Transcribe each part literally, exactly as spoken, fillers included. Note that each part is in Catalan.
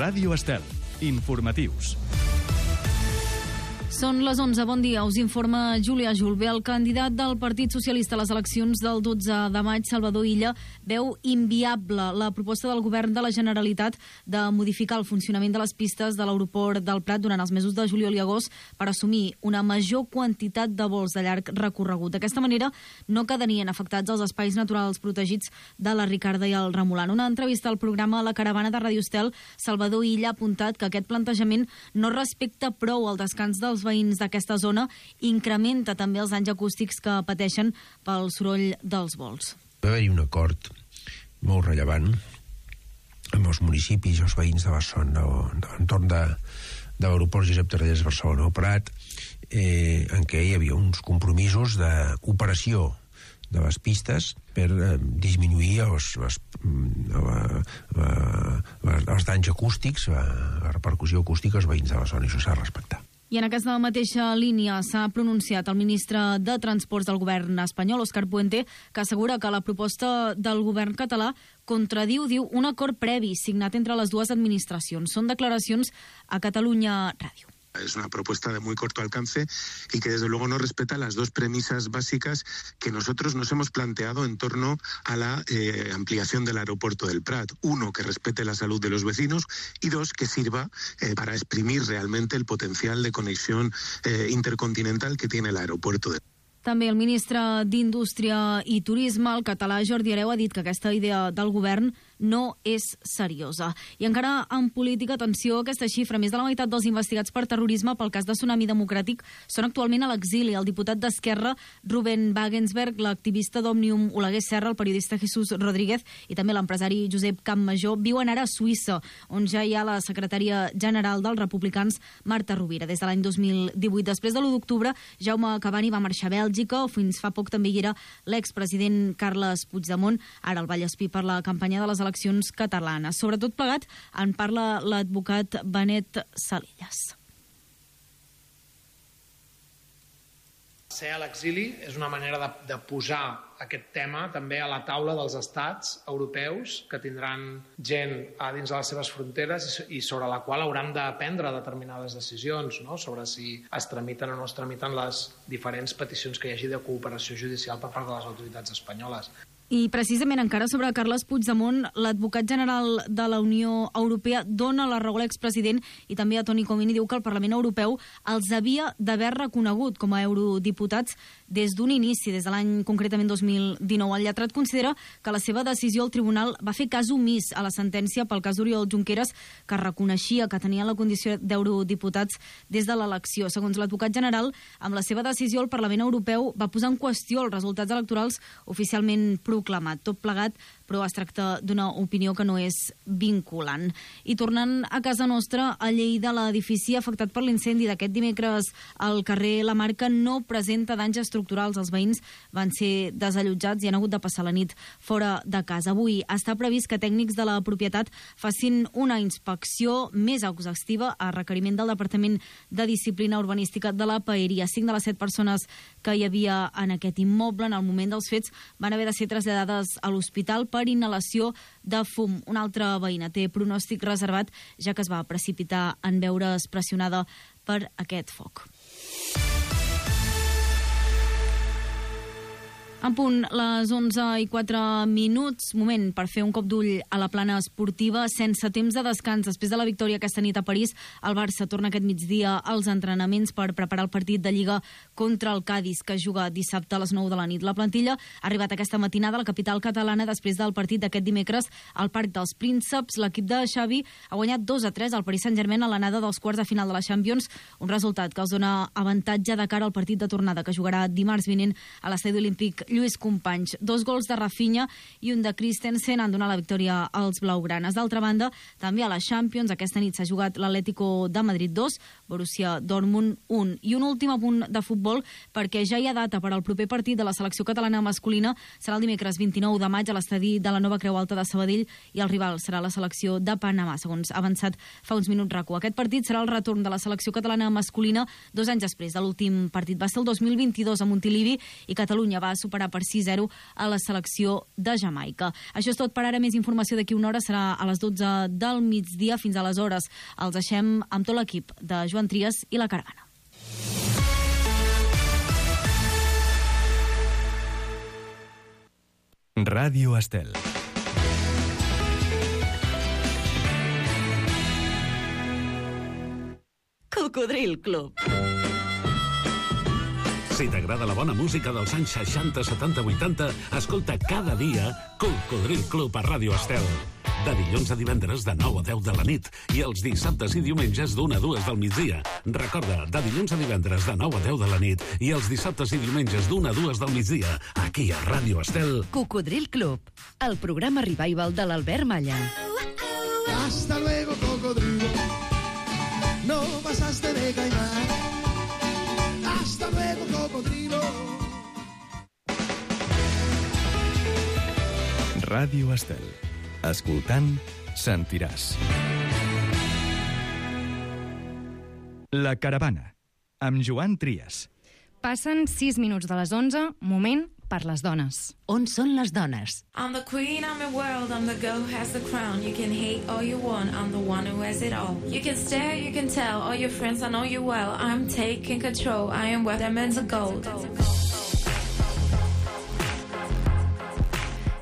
Ràdio Estel. Informatius. Són les onze. Bon dia. Us informa Júlia Julve. El candidat del Partit Socialista a les eleccions del dotze de maig, Salvador Illa, veu inviable la proposta del govern de la Generalitat de modificar el funcionament de les pistes de l'aeroport del Prat durant els mesos de juliol i agost per assumir una major quantitat de vols de llarg recorregut. D'aquesta manera no quedarien afectats els espais naturals protegits de la Ricarda i el Remolant. Una entrevista al programa La Caravana de Ràdio Estel, Salvador Illa ha apuntat que aquest plantejament no respecta prou el descans dels veïns d'aquesta zona, incrementa també els danys acústics que pateixen pel soroll dels vols. Va haver-hi un acord molt rellevant amb els municipis i els veïns de Barcelona, de l'entorn de, de l'aeroport Josep Tarradellas de Barcelona o Prat, eh, en què hi havia uns compromisos d'operació de les pistes per eh, disminuir els, les, la, la, la, els danys acústics, la, la repercussió acústica als veïns de la zona, i això s'ha de respectar. I en aquesta mateixa línia s'ha pronunciat el ministre de Transports del govern espanyol, Òscar Puente, que assegura que la proposta del govern català contradiu, diu, un acord previ signat entre les dues administracions. Són declaracions a Catalunya Ràdio. Es una propuesta de muy corto alcance y que desde luego no respeta las dos premisas básicas que nosotros nos hemos planteado en torno a la eh, ampliación del aeropuerto del Prat. Uno, que respete la salud de los vecinos, y dos, que sirva eh, para exprimir realmente el potencial de conexión eh, intercontinental que tiene el aeropuerto del Prat. També el ministre d'Indústria i Turisme, el català Jordi Hereu, ha dit que aquesta idea del govern no és seriosa. I encara en política, atenció, aquesta xifra, més de la meitat dels investigats per terrorisme pel cas de Tsunami Democràtic són actualment a l'exili. El diputat d'Esquerra, Ruben Wagensberg, l'activista d'Òmnium Oleguer Serra, el periodista Jesús Rodríguez i també l'empresari Josep Campmajor viuen ara a Suïssa, on ja hi ha la secretària general dels republicans, Marta Rovira, des de l'any dos mil divuit. Després de l'u d'octubre, Jaume Cavani va marxar a Bèlgica, o fins fa poc també hi era l'expresident Carles Puigdemont, ara el Vallespí per la campanya de les eleccions catalanes. Sobretot plegat en parla l'advocat Benet Salillas. Ser a l'exili és una manera de, de posar aquest tema també a la taula dels estats europeus que tindran gent a dins de les seves fronteres i sobre la qual hauran de prendre determinades decisions, no? Sobre si es tramiten o no es tramiten les diferents peticions que hi hagi de cooperació judicial per part de les autoritats espanyoles. I precisament encara sobre Carles Puigdemont, l'advocat general de la Unió Europea dona la raó a l'expresident i també a Toni Comín i diu que el Parlament Europeu els havia d'haver reconegut com a eurodiputats des d'un inici, des de l'any concretament dos mil dinou. El lletrat considera que la seva decisió al tribunal va fer cas omís a la sentència pel cas d'Oriol Junqueras, que reconeixia que tenia la condició d'eurodiputats des de l'elecció. Segons l'advocat general, amb la seva decisió el Parlament Europeu va posar en qüestió els resultats electorals oficialment proclamat. Tot plegat, però es tracta d'una opinió que no és vinculant. I tornant a casa nostra, a Lleida, l'edifici afectat per l'incendi d'aquest dimecres al carrer La Marca no presenta danys estructurals. Els veïns van ser desallotjats i han hagut de passar la nit fora de casa. Avui està previst que tècnics de la propietat facin una inspecció més exhaustiva a requeriment del Departament de Disciplina Urbanística de la Paeria. Cinc de les set persones que hi havia en aquest immoble en el moment dels fets van haver de ser traslladades a l'hospital per inhalació de fum. Una altra veïna té pronòstic reservat, ja que es va precipitar en veure's pressionada per aquest foc. En punt, les onze i quatre minuts, moment per fer un cop d'ull a la plana esportiva, sense temps de descans. Després de la victòria aquesta nit a París, el Barça torna aquest migdia als entrenaments per preparar el partit de Lliga contra el Cádiz, que juga dissabte a les nou de la nit. La plantilla ha arribat aquesta matinada a la capital catalana després del partit d'aquest dimecres al Parc dels Prínceps. L'equip de Xavi ha guanyat dos a tres al Paris Saint-Germain a l'anada dels quarts de final de la Champions, un resultat que els dona avantatge de cara al partit de tornada que jugarà dimarts vinent a l'Estadi Olímpic Lluís Companys. Dos gols de Rafinha i un de Christensen han donat la victòria als blaugranes. D'altra banda, també a la Champions, aquesta nit s'ha jugat l'Atlético de Madrid dos, Borussia Dortmund un. I un últim apunt de futbol, perquè ja hi ha data per al proper partit de la selecció catalana masculina. Serà el dimecres vint-i-nou de maig a l'estadi de la Nova Creu Alta de Sabadell i el rival serà la selecció de Panamà, segons ha avançat fa uns minuts RACU. Aquest partit serà el retorn de la selecció catalana masculina dos anys després de l'últim partit. Va ser el dos mil vint-i-dos a Montilivi i Catalunya va superar superar per sis zero a la selecció de Jamaica. Això és tot per ara. Més informació d'aquí una hora serà a les dotze del migdia. Fins aleshores els deixem amb tot l'equip de Joan Trias i La Caravana. Ràdio Estel. Cocodril Club. Si t'agrada la bona música dels anys seixanta, setanta, vuitanta, escolta cada dia Cocodril Club a Ràdio Estel. De dilluns a divendres de nou a deu de la nit i els dissabtes i diumenges d'una a dues del migdia. Recorda, de dilluns a divendres de nou a deu de la nit i els dissabtes i diumenges d'una a dues del migdia, aquí a Ràdio Estel. Cocodril Club, el programa revival de l'Albert Malla. Hasta luego, cocodrilo. No pasaste de caimán. Hasta luego, cocodrilo. Ràdio Estel. Escoltant, sentiràs. La Caravana, amb Joan Trias. Passen sis minuts de les onze, moment per les dones. On són les dones? I'm the queen, I'm the world, I'm the girl who has the crown. You can hate all you want, I'm the one who has it all. You can stare, you can tell, all your friends, I know you well. I'm taking control, I am worth diamonds of gold.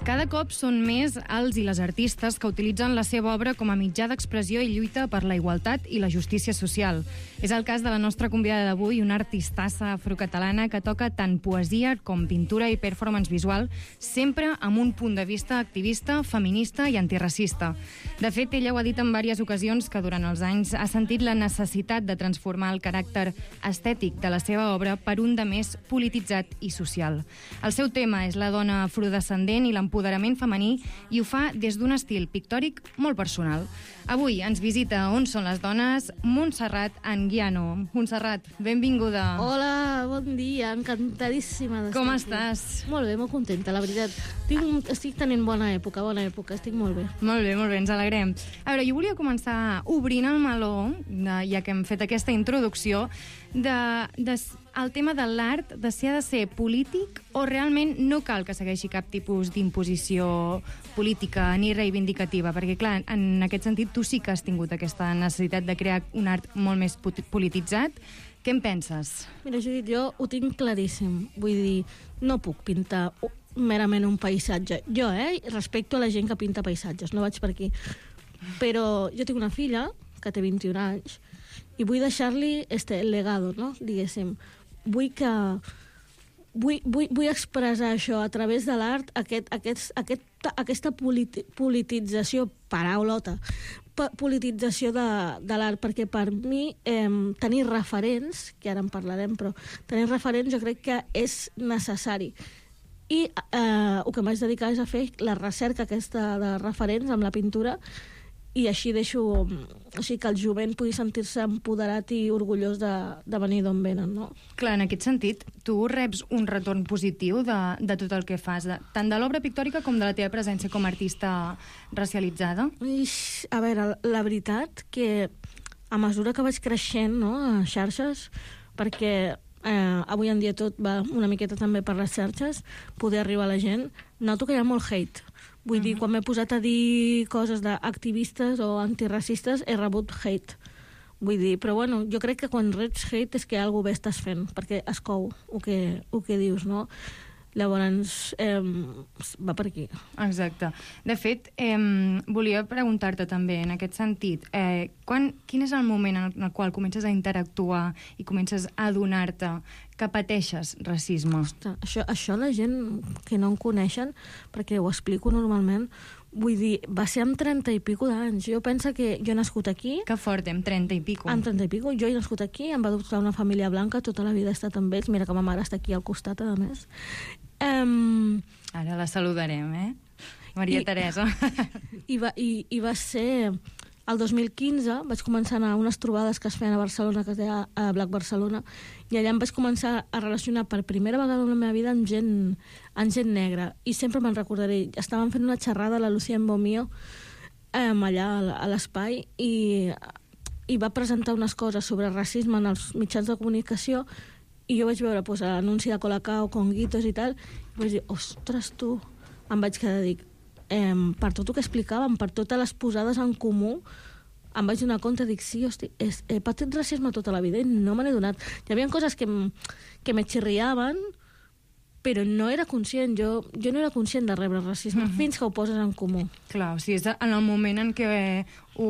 Cada cop són més els i les artistes que utilitzen la seva obra com a mitjà d'expressió i lluita per la igualtat i la justícia social. És el cas de la nostra convidada d'avui, una artistassa afrocatalana que toca tant poesia com pintura i performance visual, sempre amb un punt de vista activista, feminista i antiracista. De fet, ella ho ha dit en diverses ocasions que durant els anys ha sentit la necessitat de transformar el caràcter estètic de la seva obra per un de més polititzat i social. El seu tema és la dona afrodescendent i l'empoderament empoderament femení i ho fa des d'un estil pictòric molt personal. Avui ens visita On són les dones Montserrat Anguiano. Montserrat, benvinguda. Hola, bon dia, encantadíssima d'estar Com aquí. estàs? Molt bé, molt contenta, la veritat. Tinc, estic tenint bona època, bona època, estic molt bé. Molt bé, molt bé, ens alegrem. A veure, jo volia començar obrint el meló, de, ja que hem fet aquesta introducció, de, de, el tema de l'art, de si ha de ser polític o realment no cal que segueixi cap tipus d'imposició política ni reivindicativa, perquè clar, en aquest sentit tu sí que has tingut aquesta necessitat de crear un art molt més polititzat. Què en penses? Mira, Judit, jo ho tinc claríssim. Vull dir, no puc pintar merament un paisatge. Jo, eh, respecto a la gent que pinta paisatges, no vaig per aquí. Però jo tinc una filla que té vint-i-un anys i vull deixar-li este legado, no?, diguéssim. Vull que... Vull, vull, vull expressar això a través de l'art, aquest, aquest, aquest, aquesta politi, politització, paraulota, politització de, de l'art, perquè per mi eh, tenir referents, que ara en parlarem, però tenir referents jo crec que és necessari. I eh, el que m'haig dedicat és a fer la recerca aquesta de referents amb la pintura, i així deixo així que el jovent pugui sentir-se empoderat i orgullós de, de venir d'on venen, no? Clar, en aquest sentit, tu reps un retorn positiu de, de tot el que fas, de, tant de l'obra pictòrica com de la teva presència com a artista racialitzada? Ix, a veure, la veritat que a mesura que vaig creixent, no, a xarxes, perquè eh, avui en dia tot va una miqueta també per les xarxes, poder arribar a la gent, noto que hi ha molt hate. Vull uh-huh. dir, quan m'he posat a dir coses d'activistes o antiracistes, he rebut hate. Vull dir, però bueno, jo crec que quan reps hate és que alguna bé estàs fent, perquè es cou el que, el que dius, no? Llavors, eh, va per aquí. Exacte. De fet, eh, volia preguntar-te també, en aquest sentit, eh, quan, quin és el moment en el, en el qual comences a interactuar i comences a adonar-te que pateixes racisme? Ostres, això, això la gent que no en coneixen, perquè ho explico normalment, vull dir, va ser amb trenta i pico d'anys. Jo penso que jo he nascut aquí... Que fort, amb trenta i pico. Amb trenta i pico. Jo he nascut aquí, em va adoptar una família blanca, tota la vida he estat amb ells. Mira que ma mare està aquí al costat, a més. Um, Ara la saludarem, eh? Maria i, Teresa. I va, i, I va ser... El dos mil quinze vaig començar a anar a unes trobades que es feien a Barcelona, que es deia a Black Barcelona, i allà em vaig començar a relacionar per primera vegada en la meva vida amb gent, amb gent negra. I sempre me'n recordaré. Estàvem fent una xerrada a la Lucía Embomío eh, allà a l'espai i, i va presentar unes coses sobre racisme en els mitjans de comunicació I jo vaig veure pues, l'anunci de Colacao, Conguitos i tal, i vaig dir, ostres, tu, em vaig quedar, dic, eh, per tot el que explicàvem, per totes les posades en comú, em vaig donar compte, dic, sí, hosti, és, he patit racisme tota la vida i no me n'he donat. Hi havia coses que, que me xirriaven, però no era conscient, jo, jo no era conscient de rebre racisme uh-huh. fins que ho poses en comú. Clar, o sigui, és en el moment en què ho,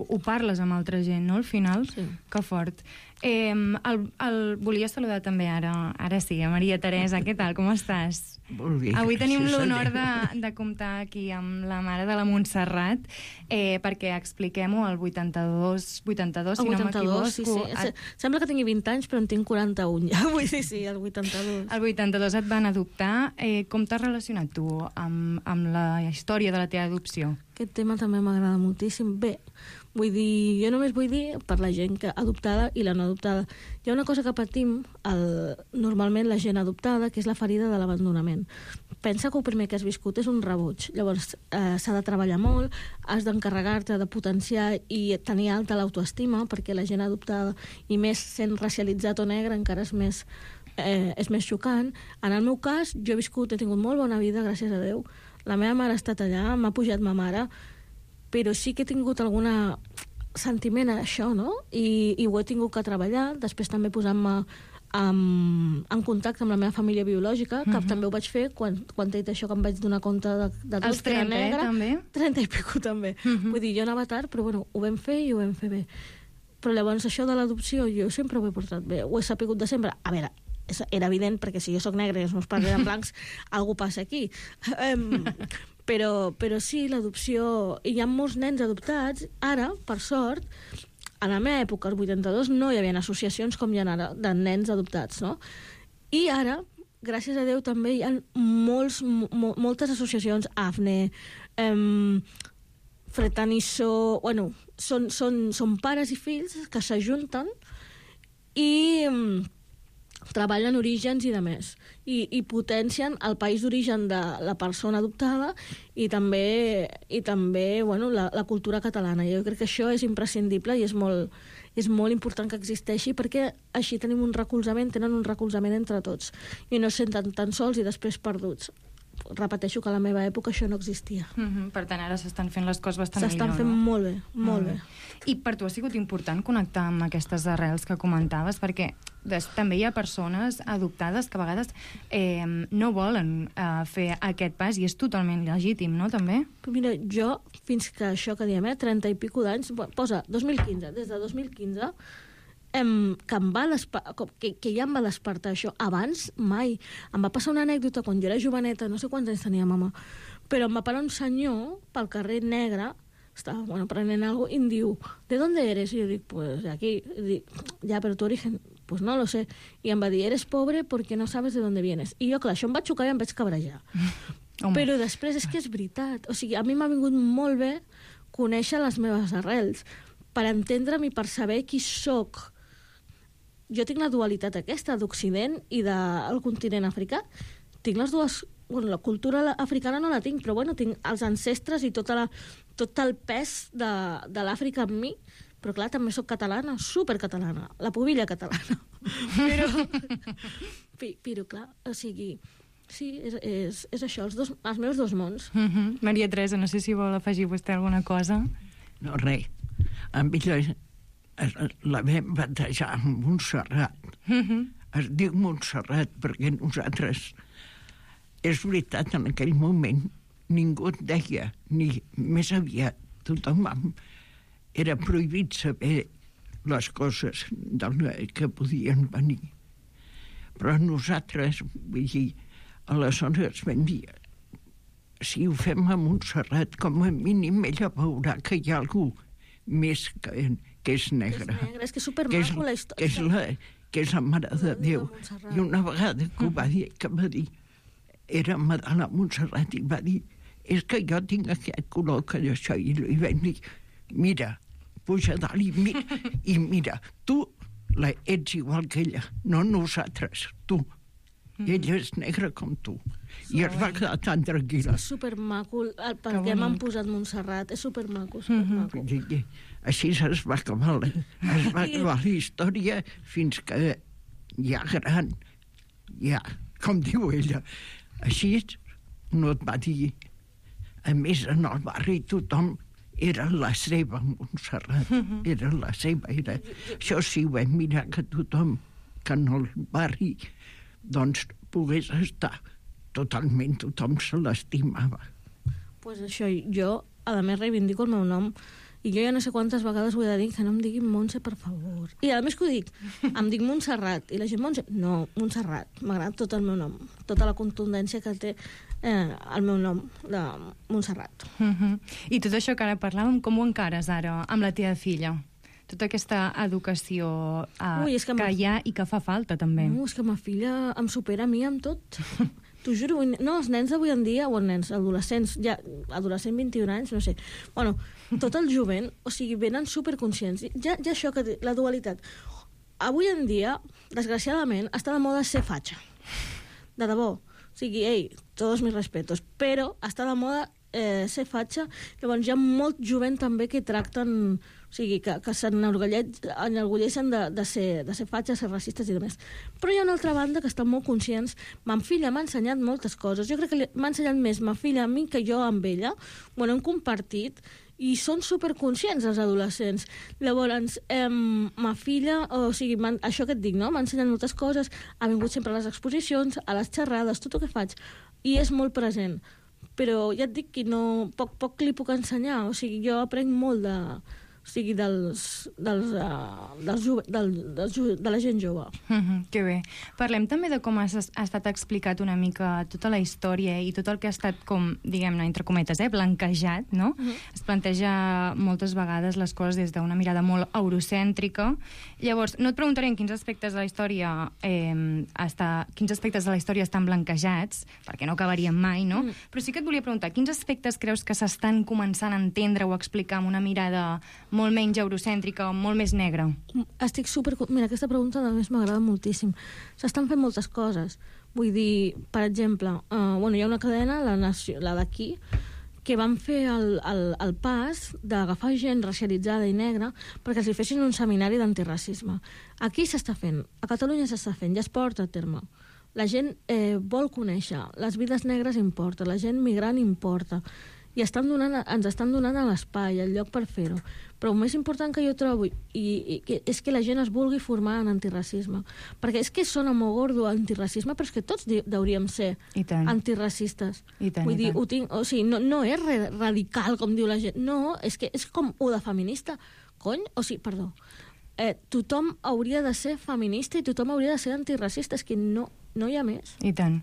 ho parles amb altra gent, no?, al final? Sí. Que fort. Eh, el, el, volia saludar també ara, ara sí, a Maria Teresa, què tal, com estàs? Molt bé. Avui tenim l'honor de, de comptar aquí amb la mare de la Montserrat, eh, perquè expliquem-ho, el vuitanta-dos, vuitanta-dos, si no m'equivoco. Sí, sí. Et... Sembla que tingui vint anys, però en tinc quaranta-un ja, vull dir, sí, el vuitanta-dos. El vuitanta-dos et van adoptar. Eh, com t'has relacionat tu amb, amb la història de la teva adopció? Aquest tema també m'agrada moltíssim. Bé, vull dir, jo només vull dir per la gent que adoptada i la no adoptada. Hi ha una cosa que patim el, normalment la gent adoptada, que és la ferida de l'abandonament. Pensa que el primer que has viscut és un rebuig. Llavors eh, s'ha de treballar molt, has d'encarregar-te de potenciar i tenir alta l'autoestima, perquè la gent adoptada, i més sent racialitzat o negre, encara és més, eh, és més xocant. En el meu cas, jo he viscut, he tingut molt bona vida, gràcies a Déu. La meva mare ha estat allà, m'ha pujat ma mare, però sí que he tingut alguna sentiment a això, no? I, i ho he tingut que treballar, després també posant-me en, en contacte amb la meva família biològica, que uh-huh. també ho vaig fer quan, quan t'he dit això, que em vaig donar compte de, de tot, Els trenta, que era negre. Eh, també? trenta i pico, també. Uh-huh. Vull dir, jo anava tard, però bueno, ho vam fer i ho vam fer bé. Però llavors això de l'adopció jo sempre ho he portat bé, ho he sapigut de sempre. A veure, era evident, perquè si jo sóc negra i els meus pares eren blancs, alguna passa aquí. Um, però, però sí, l'adopció... Hi ha molts nens adoptats. Ara, per sort, a la meva època, al vuitanta-dos, no hi havia associacions com hi ha ara de nens adoptats, no? I ara, gràcies a Déu, també hi ha molts, mo, moltes associacions, AFNE, um, Fretaniso... Bueno, són, són, són pares i fills que s'ajunten i... Um, treballen orígens i de més, i, i potencien el país d'origen de la persona adoptada i també, i també bueno, la, la cultura catalana. Jo crec que això és imprescindible i és molt, és molt important que existeixi, perquè així tenim un recolzament, tenen un recolzament entre tots, i no es senten tan sols i després perduts. Repeteixo que a la meva època això no existia. Mm-hmm. Per tant, ara s'estan fent les coses bastant millor, S'estan fent no? molt bé, molt mm. bé. I per tu ha sigut important connectar amb aquestes arrels que comentaves, perquè des, també hi ha persones adoptades que a vegades eh, no volen eh, fer aquest pas, i és totalment legítim, no, també? Però mira, jo, fins que això que diem, eh, trenta i pico d'anys, posa dos mil quinze, des de dos mil quinze, em, que, em va que, que ja em va despertar això. Abans, mai. Em va passar una anècdota quan jo era joveneta, no sé quants anys tenia mama, però em va parar un senyor pel carrer negre, estava bueno, prenent algo, i em diu, ¿de dónde eres? I jo dic, pues de aquí. I dic, ja, però tu origen, pues no lo sé. I em va dir, eres pobre porque no sabes de dónde vienes. I jo, clar, això em va xocar i em vaig cabrejar. Home. Però després és que és veritat. O sigui, a mi m'ha vingut molt bé conèixer les meves arrels, per entendre'm i per saber qui sóc. Jo tinc la dualitat aquesta d'Occident i del continent africà. Tinc les dues... Bueno, la cultura africana no la tinc, però bueno, tinc els ancestres i tota la, tot el pes de, de l'Àfrica en mi. Però clar, també sóc catalana, supercatalana, la pubilla catalana. Però, però clar, o sigui, sí, és, és, és això, els, dos, els meus dos mons. Mm-hmm. Maria Teresa, no sé si vol afegir vostè alguna cosa. No, res. A mi la, la vam batejar amb Montserrat. Mm-hmm. Es diu Montserrat perquè nosaltres... És veritat, en aquell moment ningú et deia, ni més aviat tothom era prohibit saber les coses del, que podien venir. Però nosaltres, vull dir, aleshores vam dir, si ho fem a Montserrat, com a mínim ella veurà que hi ha algú més que, que és negre. Que és negre, és que és supermaco la història. Que és la, que és la Mare de Déu. I una vegada que ho va dir, que va dir, era Madalena Montserrat, i va dir, és que jo tinc aquest color que d'això, i li vam dir, mira, puja dalt i mira, i mira, tu la, ets igual que ella, no nosaltres, tu. Mm. Ella és negra com tu. I es va quedar tan tranquil·la. És supermaco, el per què m'han posat Montserrat, és supermaco, supermaco. Mm-hmm. Així es va acabar la, es va acabar la història fins que ja gran, ja, com diu ella, així no et va dir. A més, en el barri tothom era la seva, Montserrat, era la seva. Era... Això sí, ho vam mirar, que tothom, que en el barri, doncs, pogués estar totalment, tothom se l'estimava. Pues això, jo, a més, reivindico el meu nom, i jo ja no sé quantes vegades ho he de dir, que no em diguin Montse, per favor. I a més que ho dic, em dic Montserrat, i la gent Montse... No, Montserrat, m'agrada tot el meu nom, tota la contundència que té eh, el meu nom, de Montserrat. Uh-huh. I tot això que ara parlàvem, com ho encares ara amb la teva filla? Tota aquesta educació eh, Ui, que, que hi ha i que fa falta, també. No, és que ma filla em supera a mi amb tot. T'ho juro, no, els nens d'avui en dia, o els nens, adolescents, ja, adolescent vint-i-un anys, no sé, bueno, tot el jovent, o sigui, venen superconscients. Ja, ja això, que la dualitat. Avui en dia, desgraciadament, està de moda ser fatxa. De debò. O sigui, ei, tots mis respetos, però està de moda eh, ser fatxa. Llavors hi ha molt jovent també que tracten... O sigui, que, que s'enorgulleixen de, de, ser, de ser fatxes, ser racistes i demés. Però hi ha una altra banda que estan molt conscients. Ma filla m'ha ensenyat moltes coses. Jo crec que m'ha ensenyat més ma filla a mi que jo amb ella. Ho hem compartit i són superconscients els adolescents. Llavors, eh, ma filla, o sigui, això que et dic, no? M'ha ensenyat moltes coses, ha vingut sempre a les exposicions, a les xerrades, tot el que faig, i és molt present. Però ja et dic que no, poc, poc li puc ensenyar, o sigui, jo aprenc molt de... o sigui, dels, dels, uh, dels, del, dels, de la gent jove. Mm-hmm, que bé. Parlem també de com ha, ha estat explicat una mica tota la història i tot el que ha estat, com, diguem-ne, entre cometes, eh, blanquejat, no? Mm-hmm. Es planteja moltes vegades les coses des d'una mirada molt eurocèntrica. Llavors, no et preguntaré en quins aspectes de la història eh, està, quins aspectes de la història estan blanquejats, perquè no acabaríem mai, no? Mm. Però sí que et volia preguntar, quins aspectes creus que s'estan començant a entendre o a explicar amb una mirada molt menys eurocèntrica, molt més negra? Estic super... Mira, aquesta pregunta a més m'agrada moltíssim. S'estan fent moltes coses. Vull dir, per exemple, uh, bueno, hi ha una cadena, la, nació, la d'aquí, que van fer el, el, el pas d'agafar gent racialitzada i negra perquè els hi fessin un seminari d'antiracisme. Aquí s'està fent, a Catalunya s'està fent, ja es porta a terme. La gent eh, vol conèixer, les vides negres importa, la gent migrant importa, i estan donant, ens estan donant a l'espai, el lloc per fer-ho. Però el més important que jo trobo i, i, és que la gent es vulgui formar en antiracisme. Perquè és que sona molt gordo antiracisme, però és que tots hauríem ser antiracistes. I tant, Vull i dir, tant. Ho tinc, o sigui, no, no és re, radical, com diu la gent. No, és que és com ho de feminista. Cony? O sigui, perdó. Eh, tothom hauria de ser feminista i tothom hauria de ser antiracista. És que no, no hi ha més. I tant.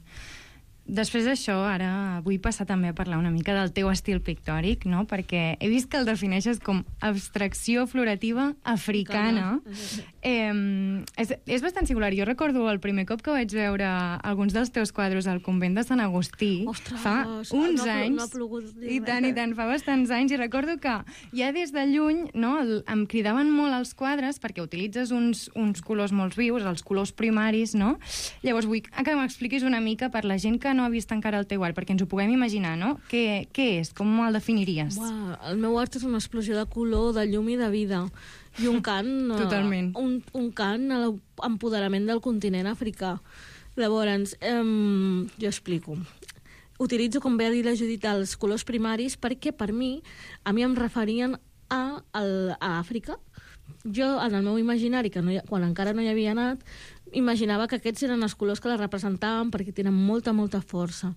Després d'això, ara vull passar també a parlar una mica del teu estil pictòric, no? Perquè he vist que el defineixes com abstracció florativa africana. Eh, és, és bastant singular. Jo recordo el primer cop que vaig veure alguns dels teus quadres al convent de Sant Agustí. Ostres, fa uns no, anys. No ha plogut. I tant, i tant, fa bastants anys. I recordo que ja des de lluny, no, el, em cridaven molt els quadres perquè utilitzes uns, uns colors molt vius, els colors primaris, no? Llavors vull que m'expliquis una mica per la gent que no ha vist encara el teu art, perquè ens ho puguem imaginar, no? Què, què és? Com el definiries? Uau, el meu art és una explosió de color, de llum i de vida. I un cant... Totalment. Un, un cant a l'empoderament del continent africà. Llavors, eh, jo explico. Utilitzo, com bé ha dit la Judit, els colors primaris perquè, per mi, a mi em referien a, a, a Àfrica. Jo, en el meu imaginari, que no hi, quan encara no hi havia anat, imaginava que aquests eren els colors que la representaven perquè tenen molta, molta força.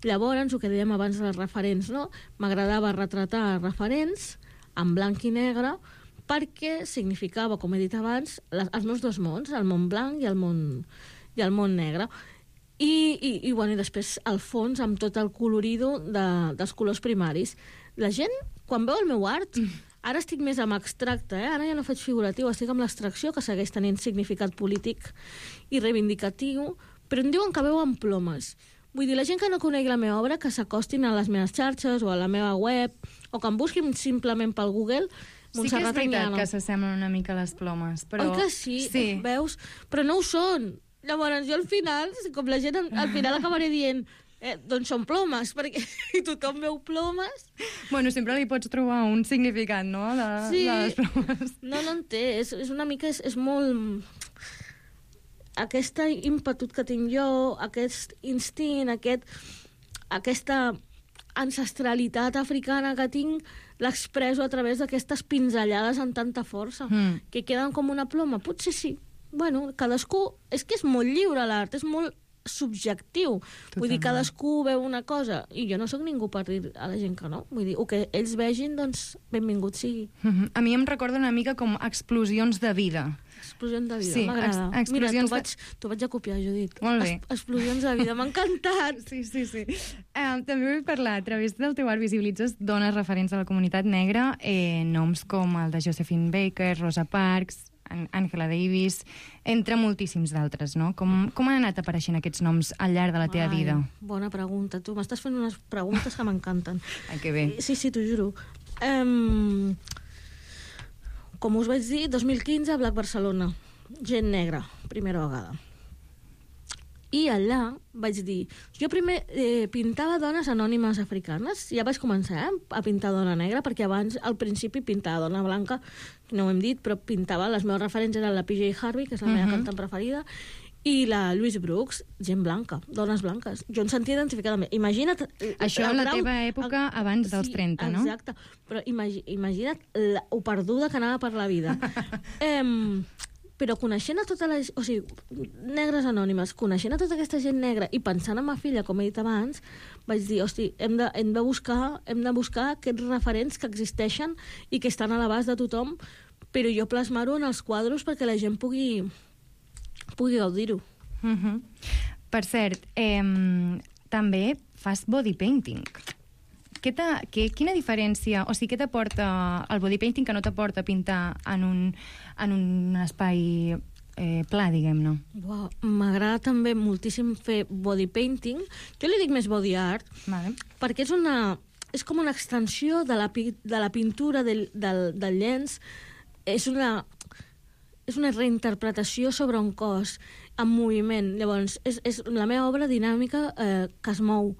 Llavors, el que dèiem abans dels referents, no? M'agradava retratar referents en blanc i negre perquè significava, com he dit abans, les, els meus dos mons, el món blanc i el món, i el món negre. I, i, i, bueno, i després el fons amb tot el colorido de, dels colors primaris. La gent, quan veu el meu art... Ara estic més amb abstracte, eh? Ara ja no faig figuratiu, estic amb l'abstracció, que segueix tenint significat polític i reivindicatiu, però em diuen que veuen plomes. Vull dir, la gent que no conegui la meva obra, que s'acostin a les meves xarxes o a la meva web, o que em busquin simplement pel Google. Sí que és veritat que s'assemblen una mica a les plomes, però... Oi que sí? Sí. Veus? Però no ho són. Llavors, jo al final, com la gent, al final acabaré dient... Eh, doncs són plomes, perquè tothom veu plomes. Bueno, sempre li pots trobar un significat, no?, de, sí. de les plomes. No, no en té. És, és una mica... És, és molt... aquest ímpetu que tinc jo, aquest instint, aquest, aquesta ancestralitat africana que tinc, l'expresso a través d'aquestes pinzellades amb tanta força, mm. que queden com una ploma. Potser sí. Bueno, cadascú... És que és molt lliure l'art, és molt subjectiu. Totalment. Vull dir, cadascú veu una cosa, i jo no sóc ningú per dir a la gent que no. Vull dir, o que ells vegin, doncs, benvingut sigui. Mm-hmm. A mi em recorda una mica com explosions de vida. Explosions de vida, sí, m'agrada. Ex Mira, t'ho de... vaig, t'ho vaig a copiar, Judit. Molt bé. Es, explosions de vida, m'ha encantat. Sí, sí, sí. Uh, també vull parlar, a través del teu art visibilitzes dones referents a la comunitat negra, eh, noms com el de Josephine Baker, Rosa Parks, Angela Davis, entre moltíssims d'altres, no? Com, com han anat apareixent aquests noms al llarg de la teva Ai, vida? Bona pregunta. Tu m'estàs fent unes preguntes que m'encanten. Ai, que bé. Sí, sí, t'ho juro. Um, com us vaig dir, dos mil quinze, Black Barcelona. Gent negra, primera vegada. I allà vaig dir... Jo primer eh, pintava dones anònimes africanes. Ja vaig començar eh, a pintar dona negra, perquè abans, al principi, pintava dona blanca, no ho hem dit, però pintava... Les meves referents eren la P J Harvey, que és la meva uh-huh. cantant preferida, i la Louise Brooks, gent blanca, dones blanques. Jo em sentia identificada amb... Imagina't... Això en la grau, teva època el, abans dels sí, trenta, no? Exacte. Però imagi, imagina't la, o perduda que anava per la vida. eh, però coneixent a totes les... O sigui, negres anònimes, coneixent a tota aquesta gent negra i pensant en ma filla, com he dit abans, vaig dir, hosti, hem de, hem de, buscar, hem de buscar aquests referents que existeixen i que estan a l'abast de tothom, però jo plasmar-ho en els quadros perquè la gent pugui, pugui gaudir-ho. Uh-huh. Per cert, eh, també fas body painting. Què què, quina diferència, o sigui, què t'aporta el body painting que no t'aporta pintar en un, en un espai eh, pla, diguem-ne? Wow, m'agrada també moltíssim fer body painting. Jo li dic més body art, vale. Perquè és una... És com una extensió de la, de la pintura del, del, del llenç. És una, és una reinterpretació sobre un cos en moviment. Llavors, és, és la meva obra dinàmica eh, que es mou.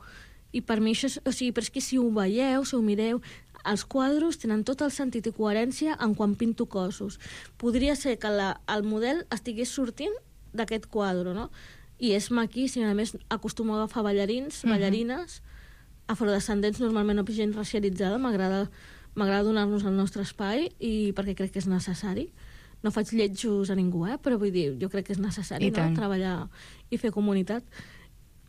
I per mi això és... O sigui, però és que si ho veieu, si ho mireu, els quadros tenen tot el sentit i coherència en quan pinto cossos. Podria ser que la, el model estigués sortint d'aquest quadre, no? I és maquíssim. A més, acostumo a agafar ballarins, uh-huh. ballarines, afrodescendents, normalment no gent racialitzada. M'agrada m'agrada donar-nos el nostre espai i perquè crec que és necessari. No faig lletjos a ningú, eh? Però vull dir, jo crec que és necessari, no? Treballar i fer comunitat.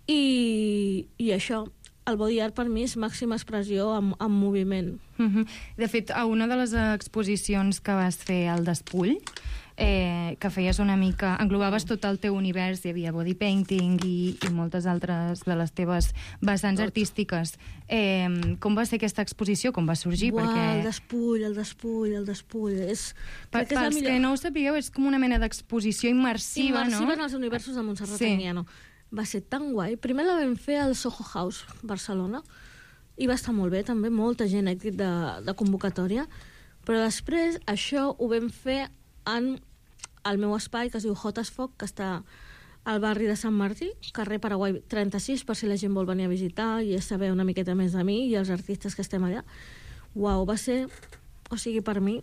I, i això... El body art per mi és màxima expressió en, en moviment. Uh-huh. De fet, a una de les exposicions que vas fer al Despull, eh, que feies una mica... Englobaves tot el teu univers, hi havia body painting i, i moltes altres de les teves vessants tot. Artístiques. Eh, com va ser aquesta exposició? Com va sorgir? Uau, perquè... el Despull, el Despull, el Despull... És... Per, que pels millor... que no ho sapigueu, és com una mena d'exposició immersiva, immersiva, no? Immersiva en els universos de Montserrat sí. Anguiano. Va ser tan guai. Primer la vam fer al Soho House, Barcelona, i va estar molt bé, també, molta gent èxit de, de convocatòria, però després això ho vam fer en el meu espai, que es diu Hot as Foc, que està al barri de Sant Martí, carrer Paraguai trenta-sis, per si la gent vol venir a visitar i saber una miqueta més de mi i els artistes que estem allà. Uau, va ser... O sigui, per mi,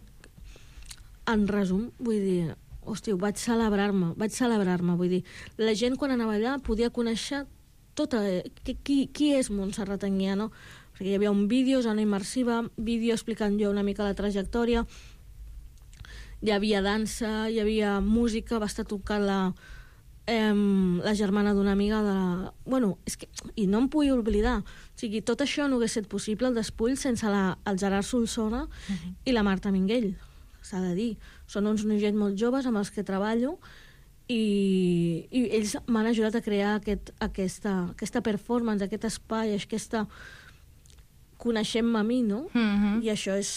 en resum, vull dir... Hosti, vaig celebrar-me, vaig celebrar-me, vull dir, la gent quan anava allà podia conèixer tota... Qui, qui és Montserrat Anguiano? Perquè hi havia un vídeo, zona immersiva, vídeo explicant jo una mica la trajectòria, hi havia dansa, hi havia música, va estar tocant la, eh, la germana d'una amiga de... Bueno, és que... I no em vull oblidar, o sigui, tot això no hagués estat possible, el Despull, sense la, el Gerard Solsona uh-huh. i la Marta Minguell, s'ha de dir. Són uns noiets molt joves amb els que treballo i, i ells m'han ajudat a crear aquest, aquesta, aquesta performance, aquest espai, aquesta... Coneixem-me a mi, no? Mm-hmm. I això és...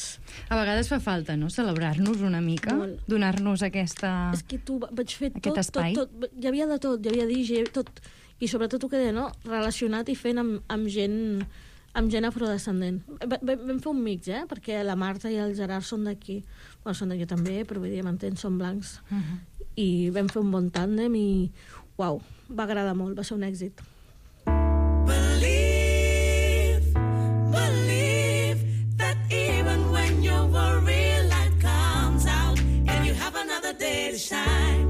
A vegades fa falta, no?, celebrar-nos una mica, molt. Donar-nos aquesta... És que tu vaig fer aquest tot, espai. tot, tot, hi havia de tot, hi havia D J, tot, i sobretot el que deia, no?, relacionat i fent amb, amb gent... amb gent afrodescendent. Vam fer un mix, eh? Perquè la Marta i el Gerard són d'aquí. Bueno, són d'aquí també, però vull dir, m'entens, són blancs. Uh-huh. I vam fer un bon tàndem i, uau, va agradar molt, va ser un èxit. Believe, believe that even when your worry light comes out and you have another day to shine,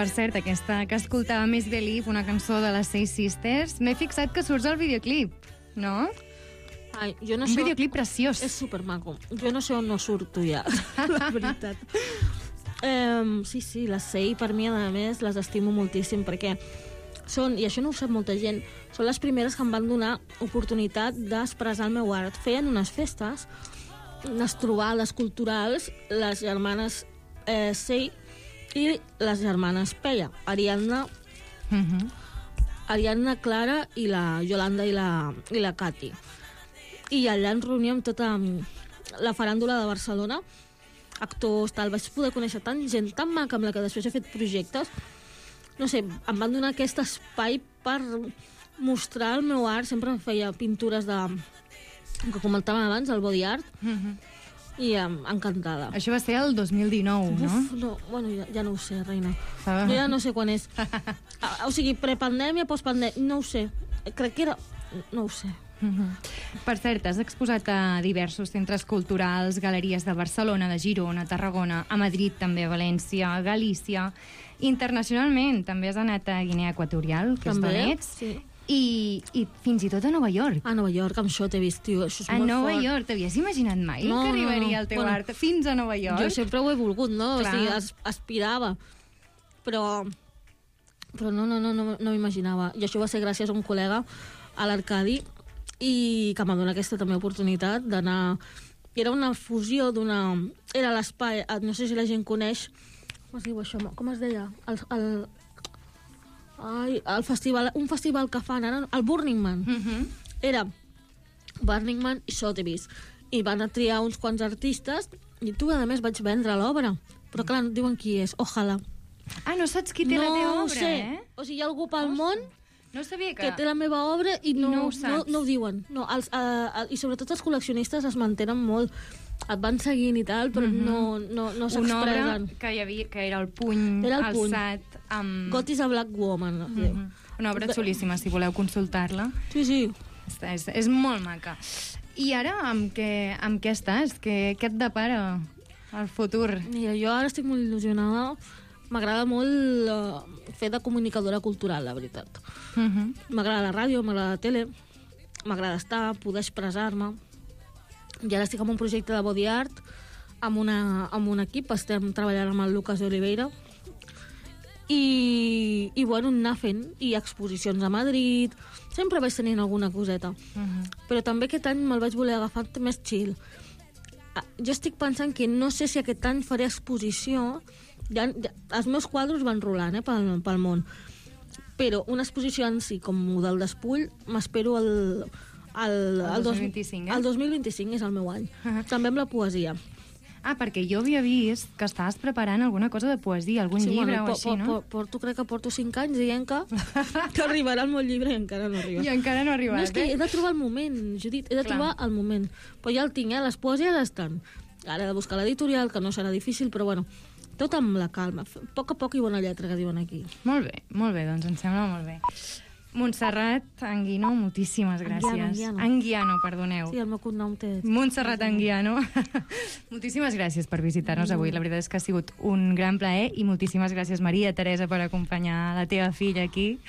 Per cert, aquesta que escoltava Miss Believe, una cançó de les Seis Sisters, m'he fixat que surts al videoclip, no? Ai, jo no Un sé... videoclip preciós. És supermaco. Jo no sé on no surto ja, la veritat. Um, sí, sí, les Sei, per mi, a més, les estimo moltíssim, perquè són, i això no ho sap molta gent, són les primeres que em van donar oportunitat d'expressar el meu art. Feien unes festes, unes trobades culturals, les germanes eh, Sei i les germanes Peia, Ariadna, Mhm. Ariadna, Clara i la Yolanda i la, i la Cati. I allà ens reuníem tota la faràndula de Barcelona, actors, tal. Vaig poder conèixer tant gent tan maca amb la que després he fet projectes. No sé, em van donar aquest espai per mostrar el meu art. Sempre feia pintures de... que comentàvem abans, el body art, Mhm. i um, encantada. Això va ser el dos mil dinou, no? Uf, no, bueno, ja, ja no ho sé, reina. Ah. Jo ja no sé quan és. Ah, o sigui, prepandèmia, postpandèmia, no ho sé. Crec que era... no ho sé. Mhm. Per cert, has exposat a diversos centres culturals, galeries de Barcelona, de Girona, Tarragona, a Madrid també, a València, a Galícia. Internacionalment també has anat a Guinea Equatorial, que També, és d'on ets, sí. i, i fins i tot a Nova York. A Nova York, amb això t'he vist, tio. Això és A molt Nova fort. York, t'havies imaginat mai No, que no, arribaria no. el teu Bueno, art fins a Nova York? Jo sempre ho he volgut, no? Clar. O sigui, as, aspirava. Però, però no, no, no, no, no m'imaginava. I això va ser gràcies a un col·lega, a l'Arcadi, i que m'ha donat aquesta també oportunitat d'anar... Era una fusió d'una... Era l'espai, no sé si la gent coneix... Com es diu això? Com es deia? El, el, ai, el festival, un festival que fan ara, el Burning Man. Mhm. Era Burning Man i Sotheby's. I van a triar uns quants artistes i tu, a més, vaig vendre l'obra. Però, clar, no diuen qui és. Ojalà. Ah, no saps qui té no la teva ho obra, sé. eh? O sigui, hi ha algú pel món No sabia que... que té la meva obra i no, I no ho no, saps. no ho diuen. No, els, uh, I sobretot els col·leccionistes es mantenen molt. Et van seguint i tal, però Mhm. no, no, no Una obra s'expressen. que, hi havia, que era el puny Era el puny. alçat amb... God is a Black Woman. es diu. Mhm. Una obra xulíssima, si voleu consultar-la. Sí, sí. És, és molt maca. I ara, amb què, amb què estàs? Què, què et depara el futur? Mira, jo ara estic molt il·lusionada. M'agrada molt uh, fer de comunicadora cultural, la veritat. Mhm. M'agrada la ràdio, m'agrada la tele, m'agrada estar, poder expressar-me. I ara estic en un projecte de body art amb, una, amb un equip, estem treballant amb el Lucas Oliveira, i, i bueno, anar fent, i exposicions a Madrid, sempre vaig tenint alguna coseta. Mhm. Però també aquest any me'l vaig voler agafar més chill. Ah, Jo estic pensant que no sé si aquest any faré exposició. Ja, ja, els meus quadros van rolant eh, pel, pel món, però una exposició en si, com model d'espull, m'espero el, el, El dos mil vint-i-cinc, eh? El dos mil vint-i-cinc és el meu any. També amb la poesia. Ah, perquè jo havia vist que estaves preparant alguna cosa de poesia, algun llibre bueno, o po- així, po- no? po- Porto, crec que porto cinc anys dient que, que arribarà el meu llibre i encara no arriba. I encara no ha arribat, No, és que eh? he de trobar el moment, Judit, he de Clar. trobar el moment. Però ja el tinc, eh? Les poesies estan. Ara he de buscar l'editorial, que no serà difícil, però bueno, tot amb la calma. A poc a poc i bona lletra, que diuen aquí. Molt bé, molt bé, doncs em sembla molt bé. Montserrat Anguino, moltíssimes gràcies. Anguiano, Anguiano. Anguiano, perdoneu. Sí, el meu cognom té... Montserrat Anguiano. Moltíssimes gràcies per visitar-nos avui. La veritat és que ha sigut un gran plaer i moltíssimes gràcies, Maria Teresa, per acompanyar la teva filla aquí.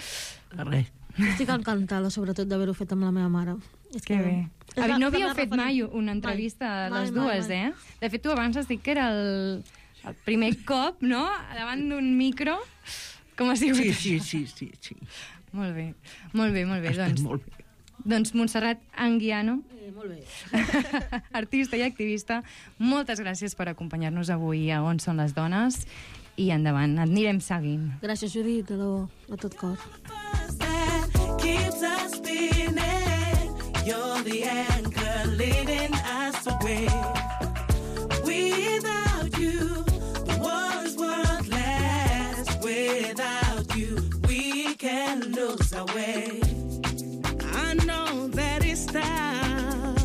Res. Estic encantada, sobretot, d'haver-ho fet amb la meva mare. És Que bé. és Avi, la- no és la havíeu meva fet referent. mai una entrevista a Mai, les mai, dues, mai. eh? De fet, tu abans has dit que era el, el primer cop, no?, davant d'un micro. Com ha sigut Sí, això? sí, sí, sí, sí. Molt bé, molt bé, molt bé. Ha estat Doncs, molt bé. doncs Montserrat Anguiano, Eh, molt bé. artista i activista, moltes gràcies per acompanyar-nos avui a On són les dones i endavant, et anirem seguint. Gràcies, Judit, de debò, de tot cor. Keeps us spinning. You're the anchor leading us away. Without you, the world's worthless. Without you, we can lose our way. I know that it's tough.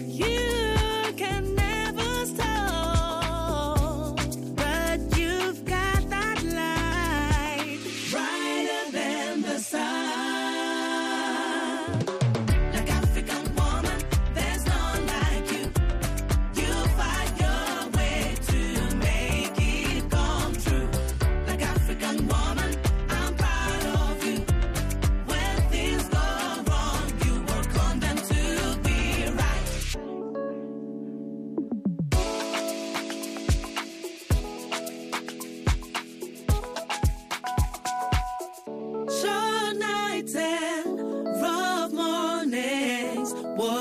You can never stop, but you've got that light brighter than the sun. Like African woman, there's none like you.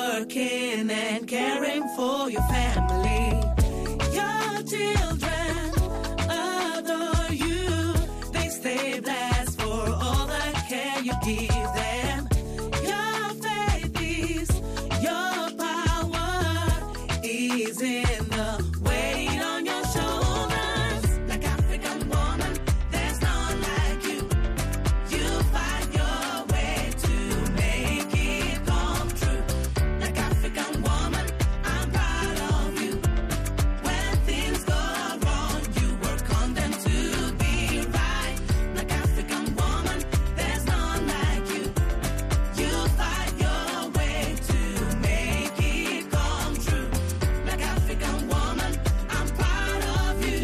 working and caring for your family. Your children adore you. They stay blessed for all the care you give them. Your faith is your power, is in the weight on your shoulders. Like African woman, there's none like you. You fight your way to make it come true. Like African woman, I'm proud of you. When things go wrong, you work on them to be right. Like African woman, there's none like you. You fight your way to make it come true. Like African woman, I'm proud of you.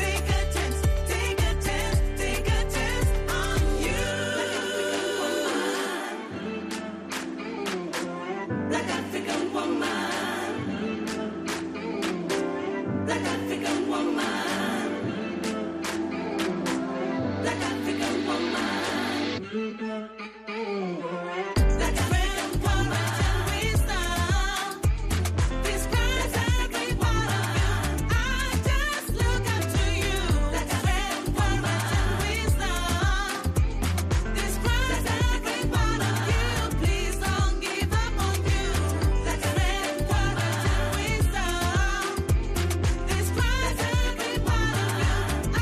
Take a chance, take a chance, take a chance on you. Like African woman. Like African woman. Like African woman. Like African woman. Wisdom. Describes every one of you. I just look up to you. Like African woman. Wisdom. Describes every one of you. Please don't give up on you. Like African woman. Wisdom. Describes every one of you. I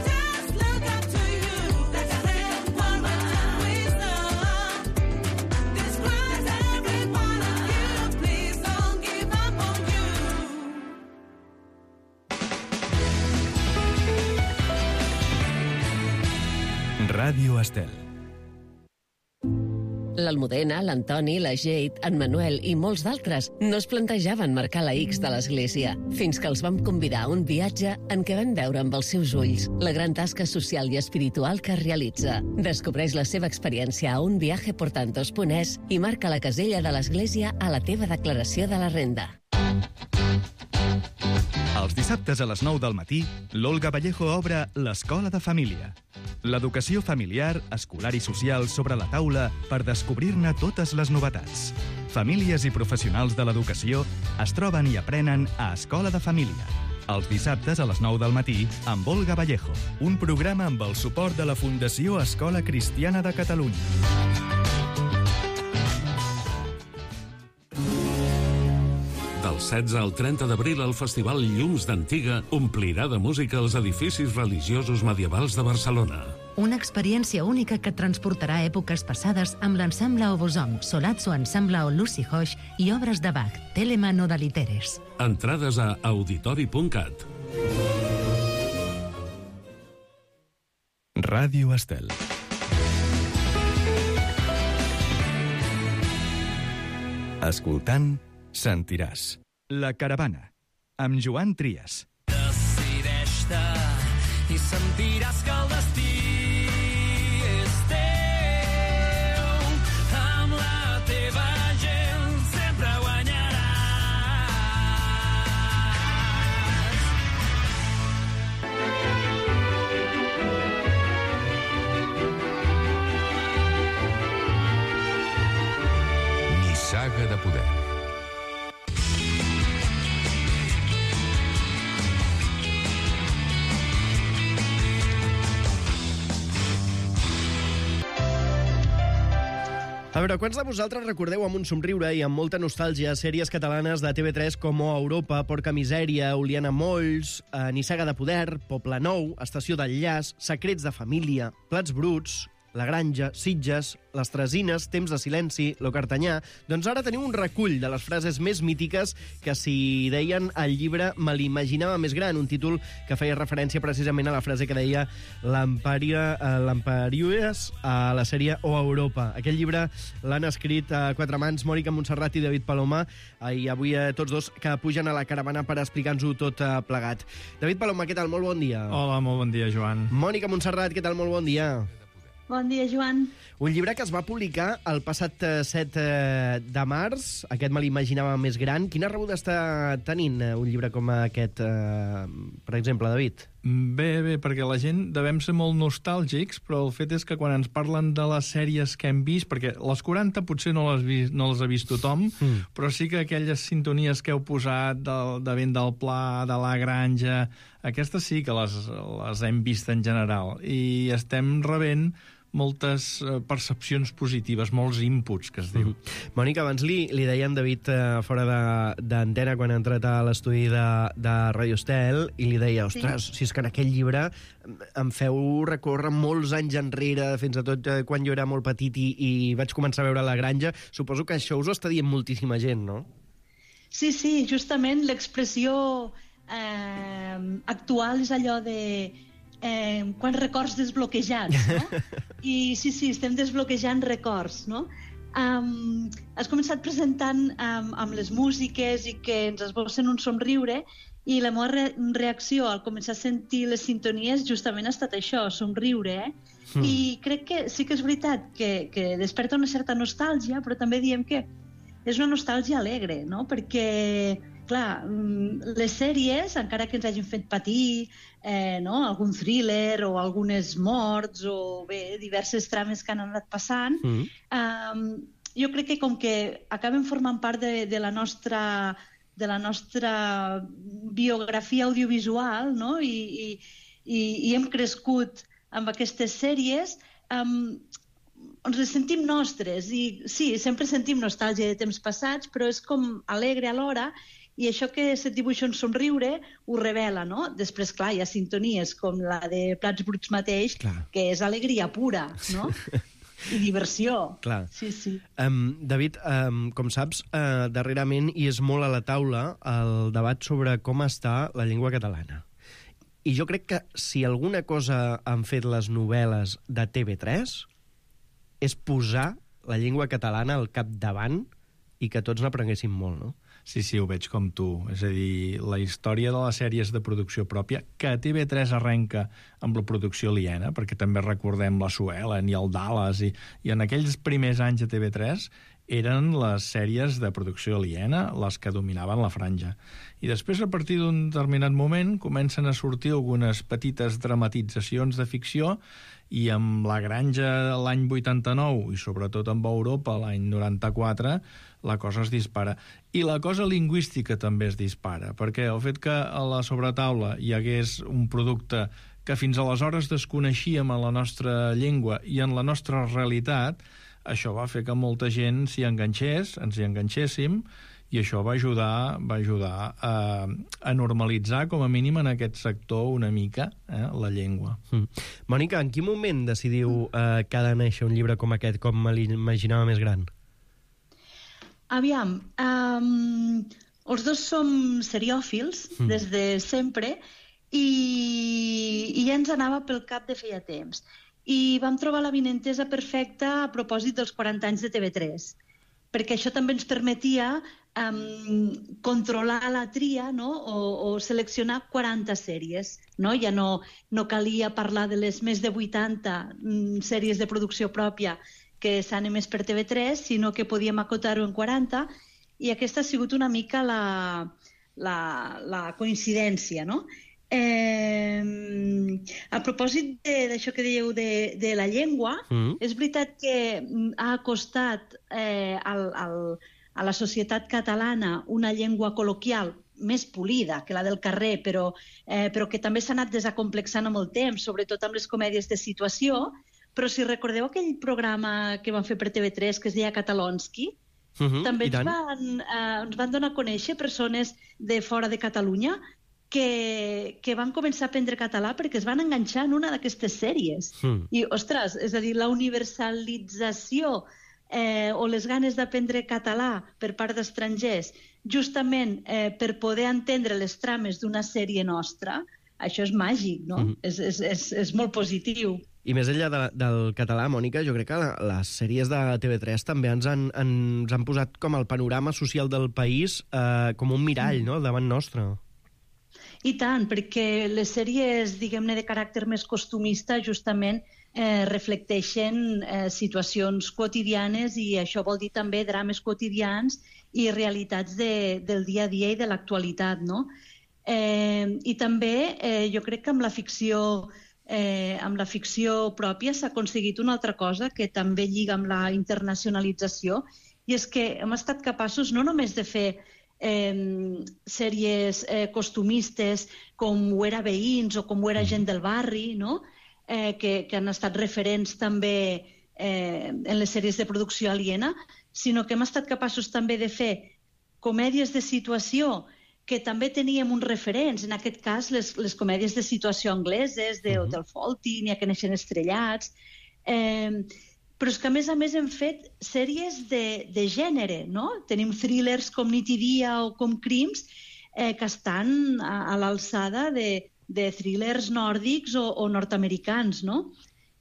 just look up to you. Like African woman. Wisdom. Describes every one of you. Please don't give up on you. Ràdio Estel. L'Almudena, l'Antoni, la Jade, en Manuel i molts d'altres no es plantejaven marcar la X de l'església, fins que els vam convidar a un viatge en què van veure amb els seus ulls la gran tasca social i espiritual que realitza. Descobreix la seva experiència a un viaje por tantos punt es i marca la casella de l'església a la teva declaració de la renda. Els dissabtes a les nou del matí, l'Olga Vallejo obre l'Escola de Família. L'educació familiar, escolar i social sobre la taula per descobrir-ne totes les novetats. Famílies i professionals de l'educació es troben i aprenen a Escola de Família. Els dissabtes a les nou del matí amb Olga Vallejo, un programa amb el suport de la Fundació Escola Cristiana de Catalunya. Del setze al trenta d'abril, el Festival Llums d'Antiga omplirà de música els edificis religiosos medievals de Barcelona. Una experiència única que et transportarà a èpoques passades amb l'ensemble Obosom, Solazzo Ensemble o Lucy Hoix i obres de Bach, Telemann o Daliteres. Entrades a auditori punt cat. Ràdio Estel. Escoltant, sentiràs. La Caravana, amb Joan Trias. Decideix-te i sentiràs que el destí és teu. Amb la teva gent sempre guanyaràs. Nissaga de poder. A veure, quants de vosaltres recordeu amb un somriure i amb molta nostàlgia sèries catalanes de T V tres com O Europa, Porca Misèria, Oliana Molls, eh, Nissaga de Poder, Poble Nou, Estació d'Enllaç, Secrets de Família, Plats Bruts, La Granja, Sitges, Les Tresines, Temps de Silenci, Lo Cartanyà... Doncs ara teniu un recull de les frases més mítiques que s'hi deien al llibre Me l'imaginava més gran, un títol que feia referència precisament a la frase que deia l'Empariues a la sèrie O Europa. Aquest llibre l'han escrit a quatre mans Mònica Montserrat i David Paloma, i avui tots dos que pugen a la caravana per explicar-nos-ho tot plegat. David Paloma, què tal? Molt bon dia. Hola, molt bon dia, Joan. Mònica Montserrat, què tal? Molt bon dia. Bon dia, Joan. Un llibre que es va publicar el passat set de març, aquest Me l'imaginava més gran. Quina rebuda està tenint un llibre com aquest, per exemple, David? Bé, bé, perquè la gent devem ser molt nostàlgics, però el fet és que quan ens parlen de les sèries que hem vist, perquè les quaranta potser no les, vist, no les ha vist tothom, mm. però sí que aquelles sintonies que heu posat de, de Vent del Pla, de La Granja, aquestes sí que les, les hem vist en general, i estem rebent moltes percepcions positives, molts inputs, que es diu. Mm-hmm. Mònica, abans li, li deia en David eh, fora d'antena quan ha entrat a l'estudi de, de Radio Estel, i li deia, ostres, sí. si és que en aquell llibre em feu recórrer molts anys enrere, fins a tot eh, quan jo era molt petit i, i vaig començar a veure La Granja. Suposo que això us ho està dient moltíssima gent, no? Sí, sí, justament l'expressió eh, actual és allò de Eh, quants records desbloquejats, no? I sí, sí, estem desbloquejant records, no? Um, has començat presentant um, amb les músiques i que ens esbocen un somriure, i la meva re reacció al començar a sentir les sintonies justament ha estat això, somriure, eh? Mm. I crec que sí que és veritat que, que desperta una certa nostàlgia, però també diem que és una nostàlgia alegre, no? Perquè clar, les sèries, encara que ens hagin fet patir eh, no? algun thriller o algunes morts o bé, diverses trames que han anat passant, mm. eh, jo crec que com que acaben formant part de, de, la, nostra, de la nostra biografia audiovisual, no? I, i, i, i hem crescut amb aquestes sèries, eh, ens les sentim nostres, i sí, sempre sentim nostàlgia de temps passats, però és com alegre alhora, i això que se't dibuixa un somriure ho revela, no? Després, clar, hi ha sintonies com la de Plats Bruts mateix, clar. Que és alegria pura, no? I diversió. Clar. Sí, sí. Um, David, um, com saps, uh, darrerament hi és molt a la taula el debat sobre com està la llengua catalana. I jo crec que si alguna cosa han fet les novel·les de T V tres és posar la llengua catalana al capdavant i que tots n'aprenguéssim molt, no? Sí, sí, ho veig com tu. És a dir, la història de les sèries de producció pròpia, que a T V tres arrenca amb la producció aliena, perquè també recordem la Suelen i el Dallas, i, i en aquells primers anys a T V tres eren les sèries de producció aliena les que dominaven la franja. I després, a partir d'un determinat moment, comencen a sortir algunes petites dramatitzacions de ficció, i amb La Granja l'any vuitanta-nou, i sobretot amb Europa l'any noranta-quatre, la cosa es dispara. I la cosa lingüística també es dispara, perquè el fet que a la sobretaula hi hagués un producte que fins aleshores desconeixíem en la nostra llengua i en la nostra realitat, això va fer que molta gent s'hi enganxés, ens hi enganxéssim, i això va ajudar, va ajudar a, a normalitzar, com a mínim en aquest sector, una mica, eh, la llengua. Mm. Mònica, en quin moment decidiu eh, que ha de néixer un llibre com aquest, com me l'imaginava més gran? Aviam, um, els dos som seriòfils mm. des de sempre, i, i ja ens anava pel cap de feia temps. I vam trobar l'avinentesa perfecta a propòsit dels quaranta anys de T V tres, perquè això també ens permetia um, controlar la tria, no? o, o seleccionar quaranta sèries. No? Ja no, no calia parlar de les més de vuitanta um, sèries de producció pròpia que s'han emès per T V tres, sinó que podíem acotar-ho en quaranta, i aquesta ha sigut una mica la, la, la coincidència, no? Eh, a propòsit d'això que dèieu de, de la llengua, mm. és veritat que ha acostat eh, al, al, a la societat catalana una llengua col·loquial més polida que la del carrer, però, eh, però que també s'ha anat desacomplexant amb el temps, sobretot amb les comèdies de situació. Però si recordeu aquell programa que van fer per T V tres que es deia Catalonski, uh-huh, també ens van, eh, ens van donar a conèixer persones de fora de Catalunya que, que van començar a aprendre català perquè es van enganxar en una d'aquestes sèries. Mm. I, ostres, és a dir, la universalització eh, o les ganes d'aprendre català per part d'estrangers, justament eh, per poder entendre les trames d'una sèrie nostra, això és màgic, no? Mm. És, és, és, és molt positiu. I més enllà de, del català, Mònica, jo crec que la, les sèries de T V tres també ens han, ens han posat com el panorama social del país eh, com un mirall, mm. no?, davant nostre. I tant, perquè les sèries, diguem-ne, de caràcter més costumista justament eh, reflecteixen eh, situacions quotidianes, i això vol dir també drames quotidians i realitats de, del dia a dia i de l'actualitat, no? Eh, I també eh, jo crec que amb la ficció eh, amb la ficció pròpia s'ha aconseguit una altra cosa que també lliga amb la internacionalització, i és que hem estat capaços no només de fer eh, sèries eh, costumistes com ho era Veïns o com ho era Gent del barri, no? eh, que, que han estat referents també eh, en les sèries de producció aliena, sinó que hem estat capaços també de fer comèdies de situació que també teníem uns referents, en aquest cas les, les comèdies de situació angleses, de uh -huh. Hotel Fawlty, N'hi ha que neixen estrellats, eh, però és que a més a més hem fet sèries de, de gènere, no? Tenim thrillers com Nit i dia o com Crims eh, que estan a, a l'alçada de, de thrillers nòrdics o, o nord-americans, no?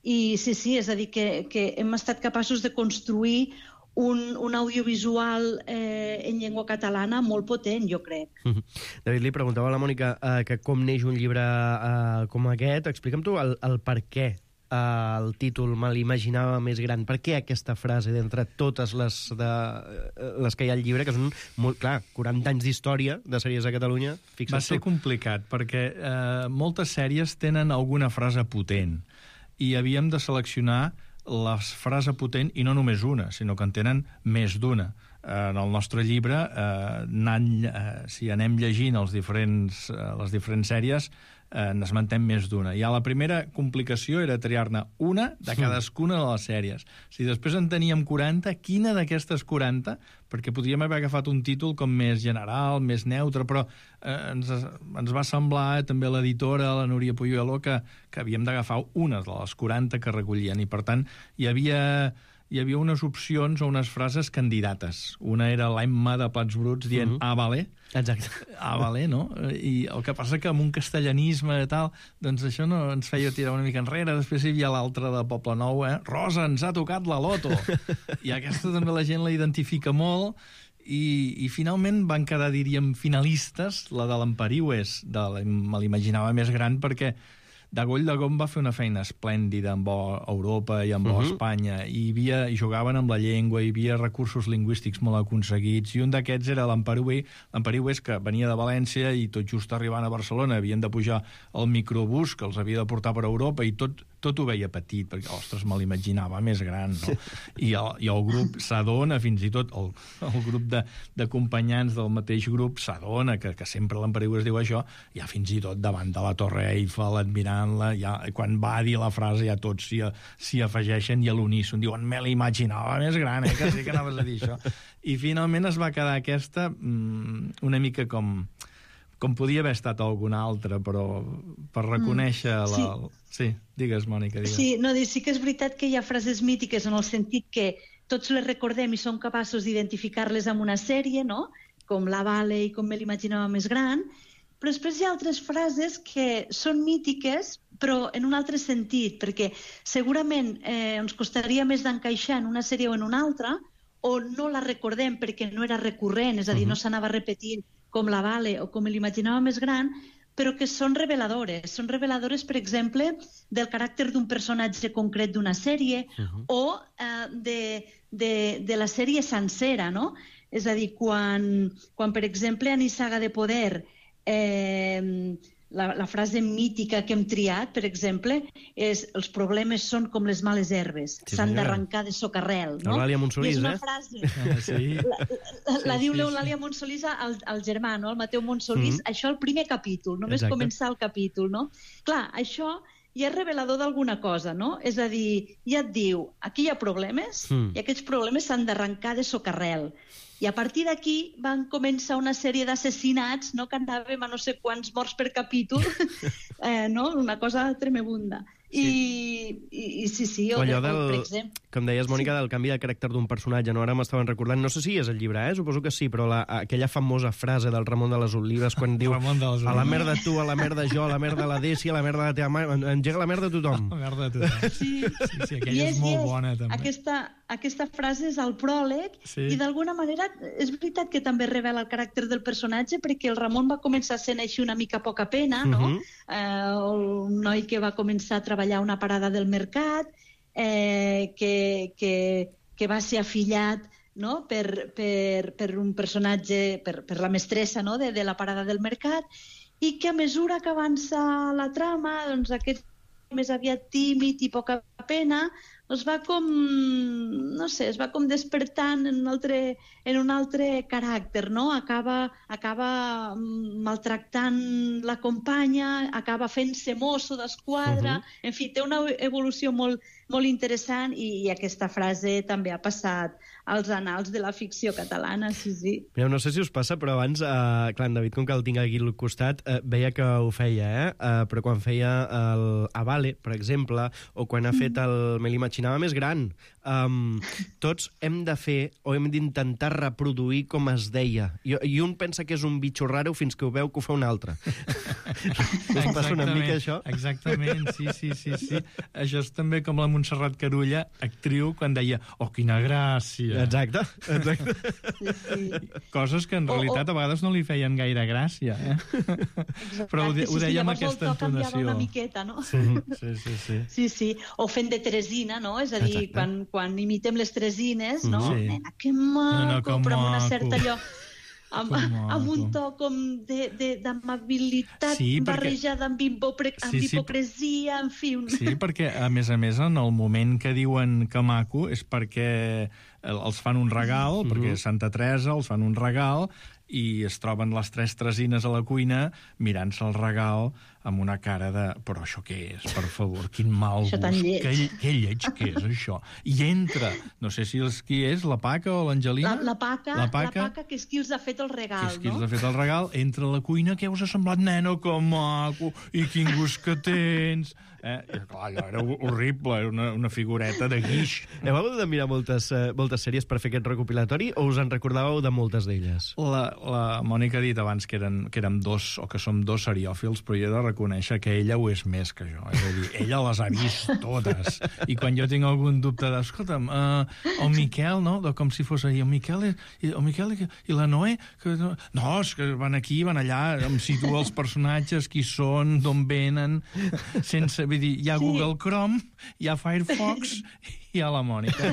I sí, sí, és a dir, que, que hem estat capaços de construir un, un audiovisual eh, en llengua catalana molt potent, jo crec. David, li preguntava a la Mònica eh, que com neix un llibre eh, com aquest. Explica'm tu el, el per què eh, el títol Me l'imaginava més gran. Per què aquesta frase d'entre totes les, de, les que hi ha al llibre, que són, molt clar, quaranta anys d'història de sèries a Catalunya? Fixa't Va ser tu. complicat, perquè eh, moltes sèries tenen alguna frase potent, i havíem de seleccionar la frase potent, i no només una, sinó que en tenen més d'una. En el nostre llibre, eh, anant, eh, si anem llegint els diferents, eh, les diferents sèries, eh, n'esmentem més d'una. Ja la primera complicació era triar-ne una de cadascuna de les sèries. Si després en teníem quaranta, quina d'aquestes quaranta, perquè podríem haver agafat un títol com més general, més neutre, però eh, ens, ens va semblar, eh, també l'editora, la Núria Puyuelo, que, que havíem d'agafar una de les quaranta que recollien, i per tant hi havia... hi havia unes opcions o unes frases candidates. Una era l'Emma de Plats Bruts dient uh -huh. ah, vale. Exacte. Ah, vale, no? I el que passa que amb un castellanisme i tal, doncs això no ens feia tirar una mica enrere. Després hi havia l'altra de Poble Nou, eh? Rosa, ens ha tocat la loto. I aquesta també la gent la identifica molt, i, i finalment van quedar, diríem, finalistes, la de l'Empariues, de la, me l'imaginava més gran, perquè Dagoll de Gom va fer una feina esplèndida amb Europa i amb uh -huh. Espanya, i, havia, i jugaven amb la llengua, hi havia recursos lingüístics molt aconseguits, i un d'aquests era l'Empariues, l'Empariues que venia de València, i tot just arribant a Barcelona havien de pujar al microbús que els havia de portar per Europa, i tot, tot ho veia petit, perquè, ostres, me l'imaginava més gran, no? I el, i el grup s'adona, fins i tot el, el grup de, d'acompanyants del mateix grup s'adona, que, que sempre l'Empariues diu això, ja fins i tot davant de la Torre Eiffel, admirant la, ja, quan va dir la frase ja tots s'hi, s'hi afegeixen, i a l'uníson diuen me l'imaginava més gran, eh, que sí que anaves a dir això. I finalment es va quedar aquesta mmm, una mica com com podia haver estat alguna altra, però per reconèixer mm, sí. la... Sí, digues, Mònica, digues. Sí, no, sí que és veritat que hi ha frases mítiques en el sentit que tots les recordem i som capaços d'identificar-les amb una sèrie, no? Com La Vale i Com me l'imaginava més gran, però després hi ha altres frases que són mítiques, però en un altre sentit, perquè segurament eh, ens costaria més d'encaixar en una sèrie o en una altra, o no la recordem perquè no era recurrent, és a dir, uh-huh. no s'anava repetint com La Vale o Com me l'imaginava més gran, però que són reveladores. Són reveladores, per exemple, del caràcter d'un personatge concret d'una sèrie uh-huh. o eh, de, de, de la sèrie sencera, no? És a dir, quan, quan per exemple, a Nissaga de Poder... Eh, la, la frase mítica que hem triat, per exemple, és els problemes són com les males herbes, sí, s'han d'arrencar de socarrel. No? Eulàlia Montsolís, és una eh? frase... Ah, sí. La, la, la sí, diu l'Eulàlia sí. Montsolís al, al germà, no? Al Mateu Montsolís, mm-hmm. això al primer capítol, només Exacte. Començar el capítol, no? Clar, això ja és revelador d'alguna cosa, no? És a dir, ja et diu, aquí hi ha problemes mm. i aquests problemes s'han d'arrencar de socarrel. I a partir d'aquí van començar una sèrie d'assassinats, no? Que anàvem a no sé quants morts per capítol, eh, no? Una cosa tremebunda. Sí. I, i, I sí, sí, o, allò o, del, per exemple... com deies, Mònica, sí. del canvi de caràcter d'un personatge, no? Ara m'estaven recordant, no sé si és el llibre, eh? Suposo que sí, però la, aquella famosa frase del Ramon de les Olives quan diu a la merda tu, a la merda jo, a la merda la Desi, a la merda la teva mare, engega la merda a tothom. A la merda a tothom. Sí, sí, sí aquella és, és molt és. bona, també. Aquesta, aquesta frase és el pròleg sí. i d'alguna manera és veritat que també revela el caràcter del personatge, perquè el Ramon va començar sent així una mica poca pena, no? Uh-huh. eh, un noi que va començar a treballar a una parada del mercat, eh, que, que, que va ser afillat, no? per, per, per un personatge, per, per la mestressa, no? de, de la parada del mercat, i que a mesura que avança la trama, doncs aquest més aviat tímid i poca pena, es va com, no sé, es va com despertant en un altre, en un altre caràcter, no? Acaba, acaba maltractant la companya, acaba fent-se mosso d'esquadra, uh-huh. En fi, té una evolució molt, molt interessant i, i aquesta frase també ha passat als anals de la ficció catalana, sí, sí. Mireu, no sé si us passa, però abans, eh, clar, en David, com que el tinc aquí al costat, eh, veia que ho feia, eh? eh? Però quan feia el Avale, per exemple, o quan ha fet el Me l'imaginava més gran, um, tots hem de fer o hem d'intentar reproduir com es deia. I, I un pensa que és un bitxo raro fins que ho veu que ho fa un altre. Us passa una mica això? Exactament, sí, sí, sí, sí. Això és també com la Montserrat Carulla, actriu, quan deia, oh, quina gràcia. Exacte, exacte. Sí, sí. Coses que en realitat a vegades no li feien gaire gràcia, eh? Però ho, de, ho deia amb aquesta entonació. Una miqueta, no? Sí, sí, sí, sí. Sí, sí. O fent de Teresina, no? És a dir, quan, quan imitem les Teresines, no? Sí. Nena, que maco, Nena, que però amb una maco. certa allò... Amb, amb un to com d'amabilitat Sí, perquè- barrejada amb, hipopre... amb Sí, sí. hipocresia, en fi... Un... Sí, perquè, a més a més, en el moment que diuen que maco és perquè els fan un regal, perquè Santa Teresa els fan un regal, i es troben les tres tresines a la cuina mirant-se el regal amb una cara de... Però això què és, per favor? Quin mal Això gust. tan lleig. Que, que lleig que és, això. I entra, no sé si és qui és, la Paca o l'Angelina? La, la, paca, La la Paca. paca, que és qui els ha fet el regal, Que és qui no? els ha fet el regal, entra a la cuina, què us ha semblat, nena, que maco, i quin gust que tens. Eh? I, clar, allò era horrible, era una, una figureta de guix. Heu hagut de mirar moltes, eh, moltes sèries per fer aquest recopilatori o us en recordàveu de moltes d'elles? La, la Mònica ha dit abans que, eren, que érem dos, o que som dos seriòfils, però jo he de reconèixer que ella ho és més que jo. És a dir, ella les ha vist totes. I quan jo tinc algun dubte de, escolta'm, uh, el Miquel, no?, de com si fos ahir, el Miquel, és, i, el Miquel i, i la Noé, que, no, no, és que van aquí, van allà, em situo els personatges, qui són, d'on venen, sense, vull dir, hi ha Sí. Google Chrome, hi ha Firefox, i hi ha la Mònica.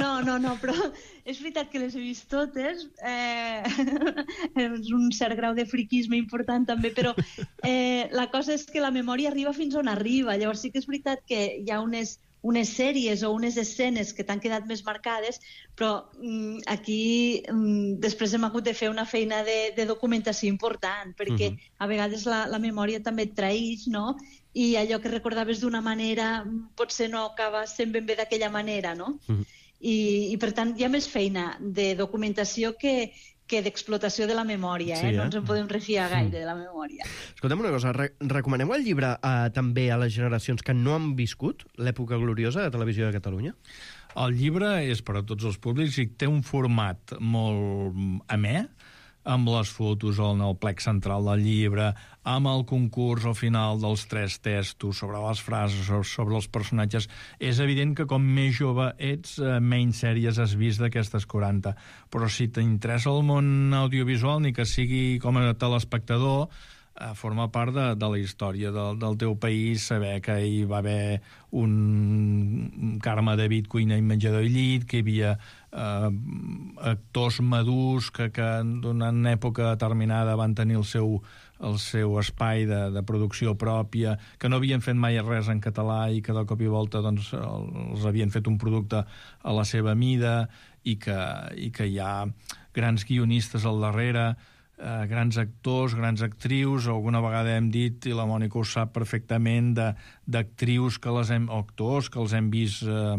No, no, no, però és veritat que les he vist totes. Eh, és un cert grau de friquisme important també, però eh, la cosa és que la memòria arriba fins on arriba. Llavors sí que és veritat que hi ha unes, unes sèries o unes escenes que t'han quedat més marcades, però mm, aquí mm, després hem hagut de fer una feina de, de documentació important, perquè Mhm. a vegades la, la memòria també et traïx, no?, i allò que recordaves d'una manera potser no acaba sent ben bé d'aquella manera, no? Mhm. I, i per tant hi ha més feina de documentació que, que d'explotació de la memòria, eh? Sí, eh? No ens en podem refiar gaire de la memòria. Escolta'm una cosa, re recomaneu el llibre eh, també a les generacions que no han viscut l'època gloriosa de Televisió de Catalunya? El llibre és per a tots els públics i té un format molt amè, amb les fotos en el plec central del llibre, amb el concurs al final dels tres testos sobre les frases, sobre els personatges. És evident que com més jove ets, menys sèries has vist d'aquestes quaranta. Però si t'interessa el món audiovisual, ni que sigui com a telespectador, forma part de, de la història del, del teu país, saber que hi va haver un Carme David, cuina i menjador i llit, que hi havia eh, actors madurs que, que d'una època determinada van tenir el seu, el seu espai de, de producció pròpia, que no havien fet mai res en català i que de cop i volta doncs, els havien fet un producte a la seva mida i que, i que hi ha grans guionistes al darrere, Eh, grans actors, grans actrius, alguna vegada hem dit, i la Mònica ho sap perfectament, d'actrius que les hem, o actors que els hem vist eh,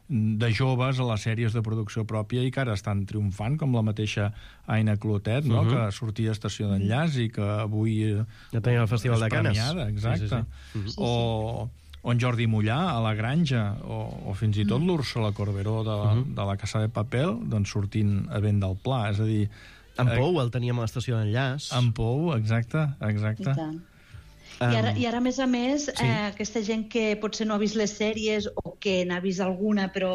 de joves a les sèries de producció pròpia i que ara estan triomfant, com la mateixa Aina Clotet, no? Uh-huh. Que sortia a Estació d'Enllaç i que avui eh, Ja tenia el Festival és de Canes. premiada, exacte. Sí, sí, sí. O, o en Jordi Mollà, a La Granja, o, o fins i tot l'Úrsula Corberó de la, Uh-huh. de la Casa de Papel, doncs sortint a vent del Pla, és a dir... En Pou el teníem a l'Estació d'Enllaç. En Pou, exacte, exacte. I tant. I ara, I ara, a més a més, sí. eh, aquesta gent que potser no ha vist les sèries o que n'ha vist alguna però,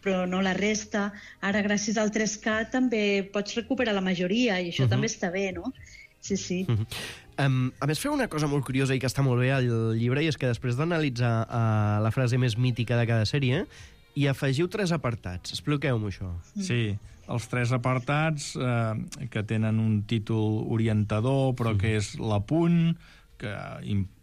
però no la resta, ara gràcies al tres K també pots recuperar la majoria i això Uh-huh. també està bé, no? Sí, sí. Uh-huh. Um, a més, feu una cosa molt curiosa i que està molt bé al llibre, i és que després d'analitzar uh, la frase més mítica de cada sèrie, hi afegiu tres apartats. Expliqueu-m'ho, això. Sí, els tres apartats eh, que tenen un títol orientador, però mm. que és l'apunt, que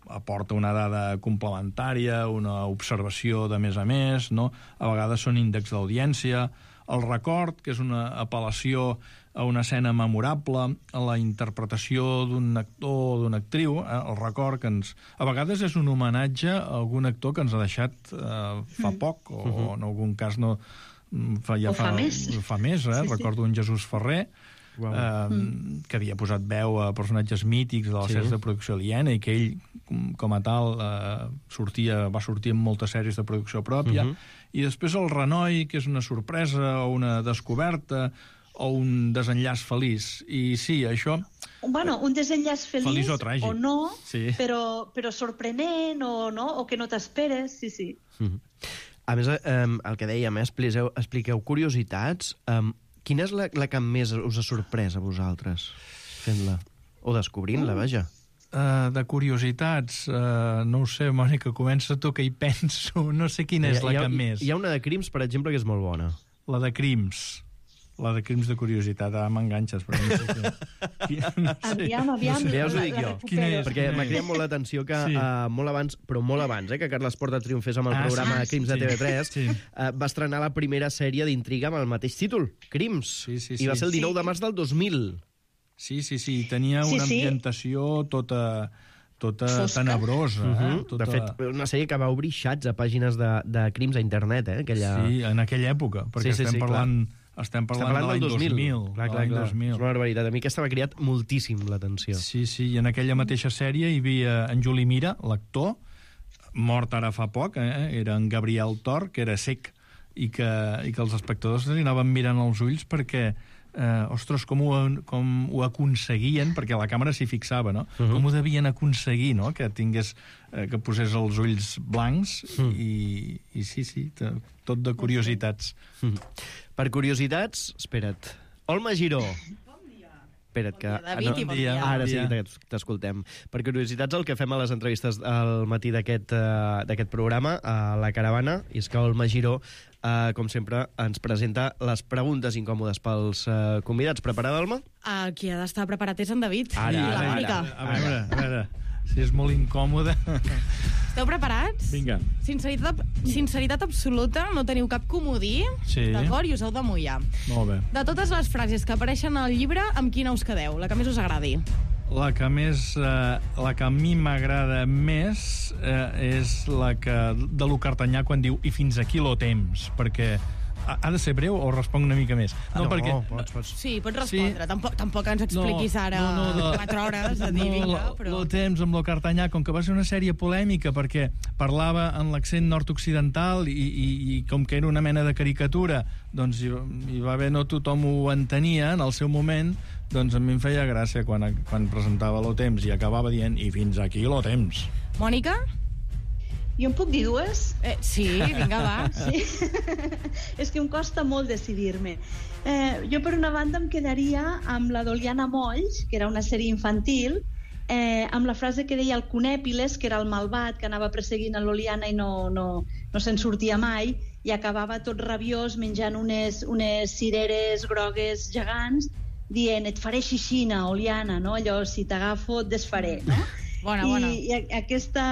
aporta una dada complementària, una observació de més a més, no? A vegades són índexs d'audiència, el record, que és una apel·lació a una escena memorable, a la interpretació d'un actor o d'una actriu, eh? El record que ens... A vegades és un homenatge a algun actor que ens ha deixat eh, fa mm. poc, o, uh-huh. o en algun cas no... Fa, ja o fa, fa més. Fa més, eh? Sí, Recordo sí. un Jesús Ferrer, wow. eh, mm. que havia posat veu a personatges mítics de les sí. sèries de producció aliena i que ell, com a tal, eh, sortia, va sortir en moltes sèries de producció pròpia. Uh-huh. I després el renoi, que és una sorpresa o una descoberta o un desenllaç feliç. I sí, això... Bueno, un desenllaç feliç, feliç o, tràgic. o no, sí. però, però sorprenent o, no, o que no t'esperes, sí, sí. Uh-huh. A més, eh, el que dèiem, eh, expliqueu, expliqueu curiositats. Eh, quina és la, la que més us ha sorprès a vosaltres fent-la? O descobrint-la, vaja. Uh, de curiositats, uh, no ho sé, Mònica, comença tu, que hi penso. No sé quina és hi, la hi ha, que més. Hi ha una de crims, per exemple, que és molt bona. La de crims. La de crims de curiositat. Ah, m'enganxes, però no sé què. No sé. Aviam, aviam. No sé. Ja us ho dic jo. Quina és? Perquè m'ha cridat molt l'atenció que sí. uh, molt abans, però molt abans, eh, que Carles Porta triomfés amb el ah, programa sí, Crims sí, de T V tres, sí. uh, va estrenar la primera sèrie d'intriga amb el mateix títol, Crims. Sí, sí, sí. I va ser el dinou sí. de març del dos mil. Sí, sí, sí. Tenia sí, una sí. ambientació tota... tota Fosca. tenebrosa. Uh -huh. eh? tota... De fet, una sèrie que va obrir xats a pàgines de, de crims a internet, eh? Aquella... Sí, en aquella època, perquè sí, sí, estem sí, parlant... Clar. Estem parlant, parlant de l'any dos mil. Clar, clar, clar. dos mil. És una barbaritat. A mi aquesta m'ha cridat moltíssim l'atenció. Sí, sí, i en aquella mateixa sèrie hi havia en Juli Mira, l'actor, mort ara fa poc, eh? Era en Gabriel Tor, que era cec, i que, i que els espectadors li anaven mirant els ulls perquè, eh, ostres, com ho, com ho aconseguien, perquè la càmera s'hi fixava, no? Uh-huh. Com ho devien aconseguir, no? Que tingués, eh, que posés els ulls blancs, uh-huh. i, i sí, sí, tot de curiositats. Uh-huh. Per curiositats, espera't, Olma Giró. Espera't, que... David, no, bon dia. Ara sí que t'escoltem. Per curiositats, el que fem a les entrevistes al matí d'aquest uh, d'aquest programa, a la Caravana, és que Olma Giró, uh, com sempre, ens presenta les preguntes incòmodes pels uh, convidats. Preparada, Olma? Uh, qui ha d'estar preparat és en David. Ara, I ara, la Mònica. ara. A veure, a veure, si és molt incòmode... Esteu preparats? Vinga. Sinceritat, sinceritat absoluta, no teniu cap comodí, sí. d'acord? I us heu de mullar. Molt bé. De totes les frases que apareixen al llibre, amb quina us quedeu? La que més us agradi? La que més... Eh, la que a mi m'agrada més eh, és la que de lo Cartanyà quan diu i fins aquí lo temps, perquè ha, ha de ser breu o responc una mica més? No, no perquè... pots, pots. Sí, pots respondre. Sí. Tampoc, tampoc ens expliquis no, ara no, no, no, quatre hores de dir, no, vinga, lo, però... Lo temps amb lo Cartanyà, com que va ser una sèrie polèmica perquè parlava en l'accent nord-occidental i, i, i com que era una mena de caricatura, doncs hi, hi va haver, no tothom ho entenia en el seu moment, doncs a mi em feia gràcia quan, quan presentava lo temps i acabava dient i fins aquí lo temps. Mònica? Jo em puc dir dues? Eh, sí, vinga, va. Sí. És que em costa molt decidir-me. Eh, jo, per una banda, em quedaria amb la d'Oliana Molls, que era una sèrie infantil, eh, amb la frase que deia el Conèpiles, que era el malvat que anava perseguint a l'Oliana i no, no, no se'n sortia mai, i acabava tot rabiós menjant unes, unes cireres grogues gegants, dient, et faré xixina, Oliana, no? Allò, si t'agafo, et desfaré, no? Bona, I, bona. I aquesta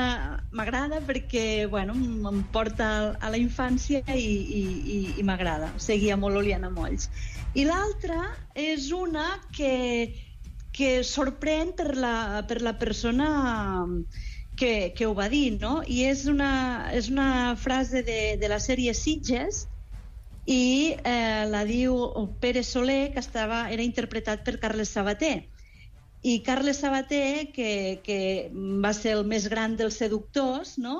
m'agrada perquè, bueno, em porta a la infància i, i, i, i m'agrada. Seguia molt Oliana Molls. I l'altra és una que, que sorprèn per la, per la persona que, que ho va dir, no? I és una, és una frase de, de la sèrie Sitges i eh, la diu Pere Soler, que estava, era interpretat per Carles Sabater. I Carles Sabater, que, que va ser el més gran dels seductors, no?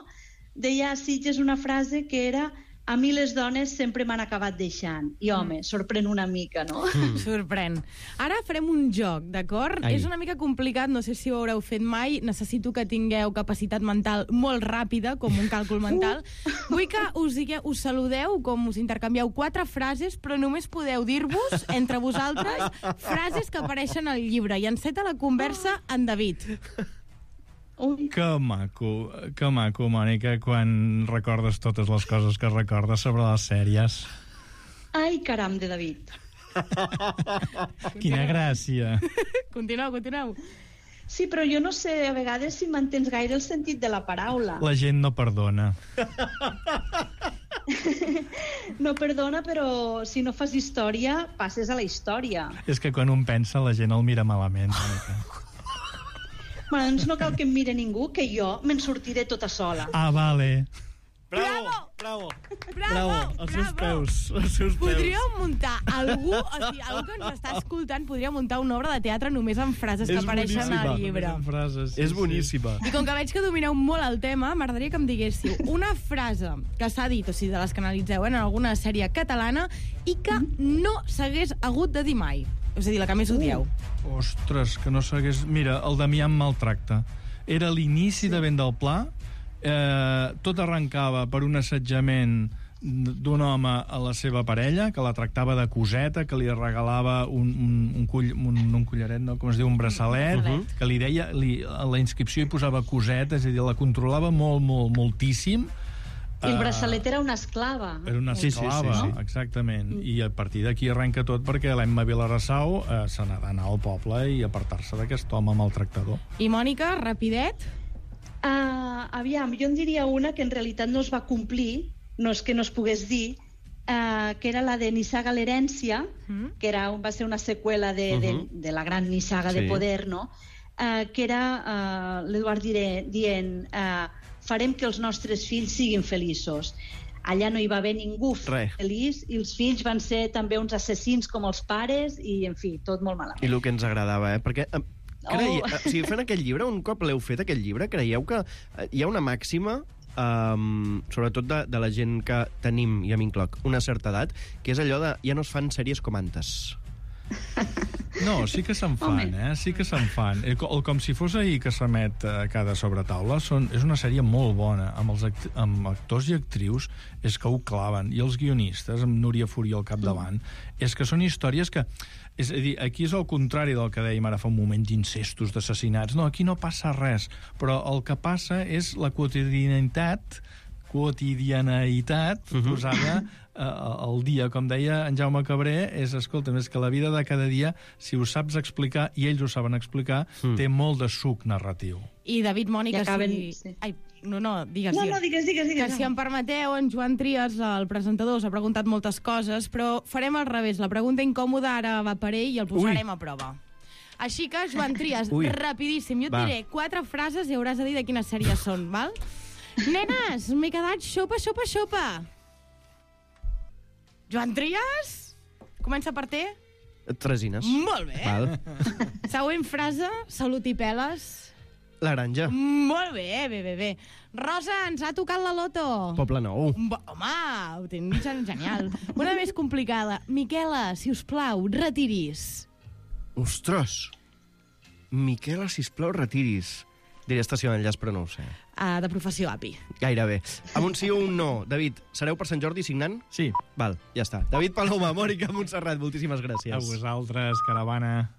Deia a Sitges una frase que era a mi les dones sempre m'han acabat deixant. I, home, sorprèn una mica, no? Mm. Sorprèn. Ara farem un joc, d'acord? És una mica complicat, no sé si ho haureu fet mai. Necessito que tingueu capacitat mental molt ràpida, com un càlcul mental. Uh. Vull que us, digueu, us saludeu, com us intercanvieu quatre frases, però només podeu dir-vos, entre vosaltres, frases que apareixen al llibre. I enceta la conversa en David. Que maco, que maco, Mònica, quan recordes totes les coses que recordes sobre les sèries. Ai, caram, de David. Quina gràcia. Continueu, continueu. Sí, però jo no sé a vegades si mantens gaire el sentit de la paraula. La gent no perdona. No perdona, però si no fas història, passes a la història. És que quan un pensa, la gent el mira malament. Bueno, doncs no cal que em mire ningú, que jo me'n sortiré tota sola. Ah, vale. Bravo! Bravo! Bravo! Els seus peus. Els seus peus. Podríem muntar algú, o sigui, algú que ens està escoltant, podria muntar una obra de teatre només amb frases que És apareixen boníssima. al llibre. Amb frases, sí, És boníssima. I com que veig que domineu molt el tema, m'agradaria que em diguéssiu una frase que s'ha dit, o sigui, de les que analitzeu en alguna sèrie catalana i que no s'hagués hagut de dir mai. És a dir, la que més odieu. Uh, ostres, que no s'hagués... Mira, el Damià em maltracta. Era l'inici sí. de Vent del Pla. Eh, tot arrencava per un assetjament d'un home a la seva parella, que la tractava de coseta, que li regalava un, un, un, cull, un, un collaret, no? Com es diu, un braçalet, uh -huh. que li deia, li, a la inscripció hi posava coseta, és a dir, la controlava molt, molt, moltíssim. I el braçalet era una esclava. Era una esclava, sí, sí, sí, sí. Exactament. I a partir d'aquí arrenca tot perquè l'Emma Vilarassau eh, se n'ha d'anar al poble i apartar-se d'aquest home maltractador. I Mònica, rapidet? Uh, aviam, jo en diria una que en realitat no es va complir, no és que no es pogués dir, uh, que era la de Nissaga l'herència, mm. que era, va ser una seqüela de, uh -huh. de, de la gran Nissaga sí. de Poder, no? Uh, que era uh, l'Eduard dient uh, farem que els nostres fills siguin feliços. Allà no hi va haver ningú Re. feliç i els fills van ser també uns assassins com els pares i, en fi, tot molt malament. I el que ens agradava, eh? Perquè... Uh, Creie, Oh. o sigui, fent aquest llibre, un cop l'heu fet, aquest llibre, creieu que hi ha una màxima, um, sobretot de, de la gent que tenim, i a mi incloc, una certa edat, que és allò de ja no es fan sèries com antes. No, sí que se'n fan, eh? Sí que se'n fan. El, el Com si fos ahir que s'emet a cada sobretaula són, és una sèrie molt bona. Amb els act amb actors i actrius és que ho claven. I els guionistes, amb Núria Furi al capdavant, és que són històries que... És a dir, aquí és el contrari del que dèiem ara fa un moment d'incestos, d'assassinats. No, aquí no passa res. Però el que passa és la quotidianitat quotidianitat uh -huh. posada eh, al dia. Com deia en Jaume Cabré, és, escolta, és que la vida de cada dia, si ho saps explicar, i ells ho saben explicar, mm. té molt de suc narratiu. I David, Mònica, acaben... si... Sí. Ai, no, no, digues, no, digues. no, digues, digues, digues. Que si em permeteu, en Joan Trias, el presentador, us ha preguntat moltes coses, però farem al revés. La pregunta incòmoda ara va per ell i el posarem Ui. a prova. Així que, Joan Trias, rapidíssim, jo et va. diré quatre frases i hauràs de dir de quines sèries són, val? Nenes, m'he quedat xopa, xopa, xopa. Joan Trias? Comença per T? Tresines. Molt bé. Val. Següent frase, salut i peles. Laranja. Molt bé, bé, bé, bé. Rosa, ens ha tocat la loto. Poble Nou. Bo, home, ho tens genial. Una més complicada. Miquela, si us plau, retiris. Ostres. Miquela, sisplau, retiris. Diria estació d'enllaç, però no ho sé. Uh, de professió A P I. Gairebé. Amb un sí o un no. David, sereu per Sant Jordi signant? Sí. Val, ja està. David Paloma, Mònica Montserrat, moltíssimes gràcies. A vosaltres, caravana.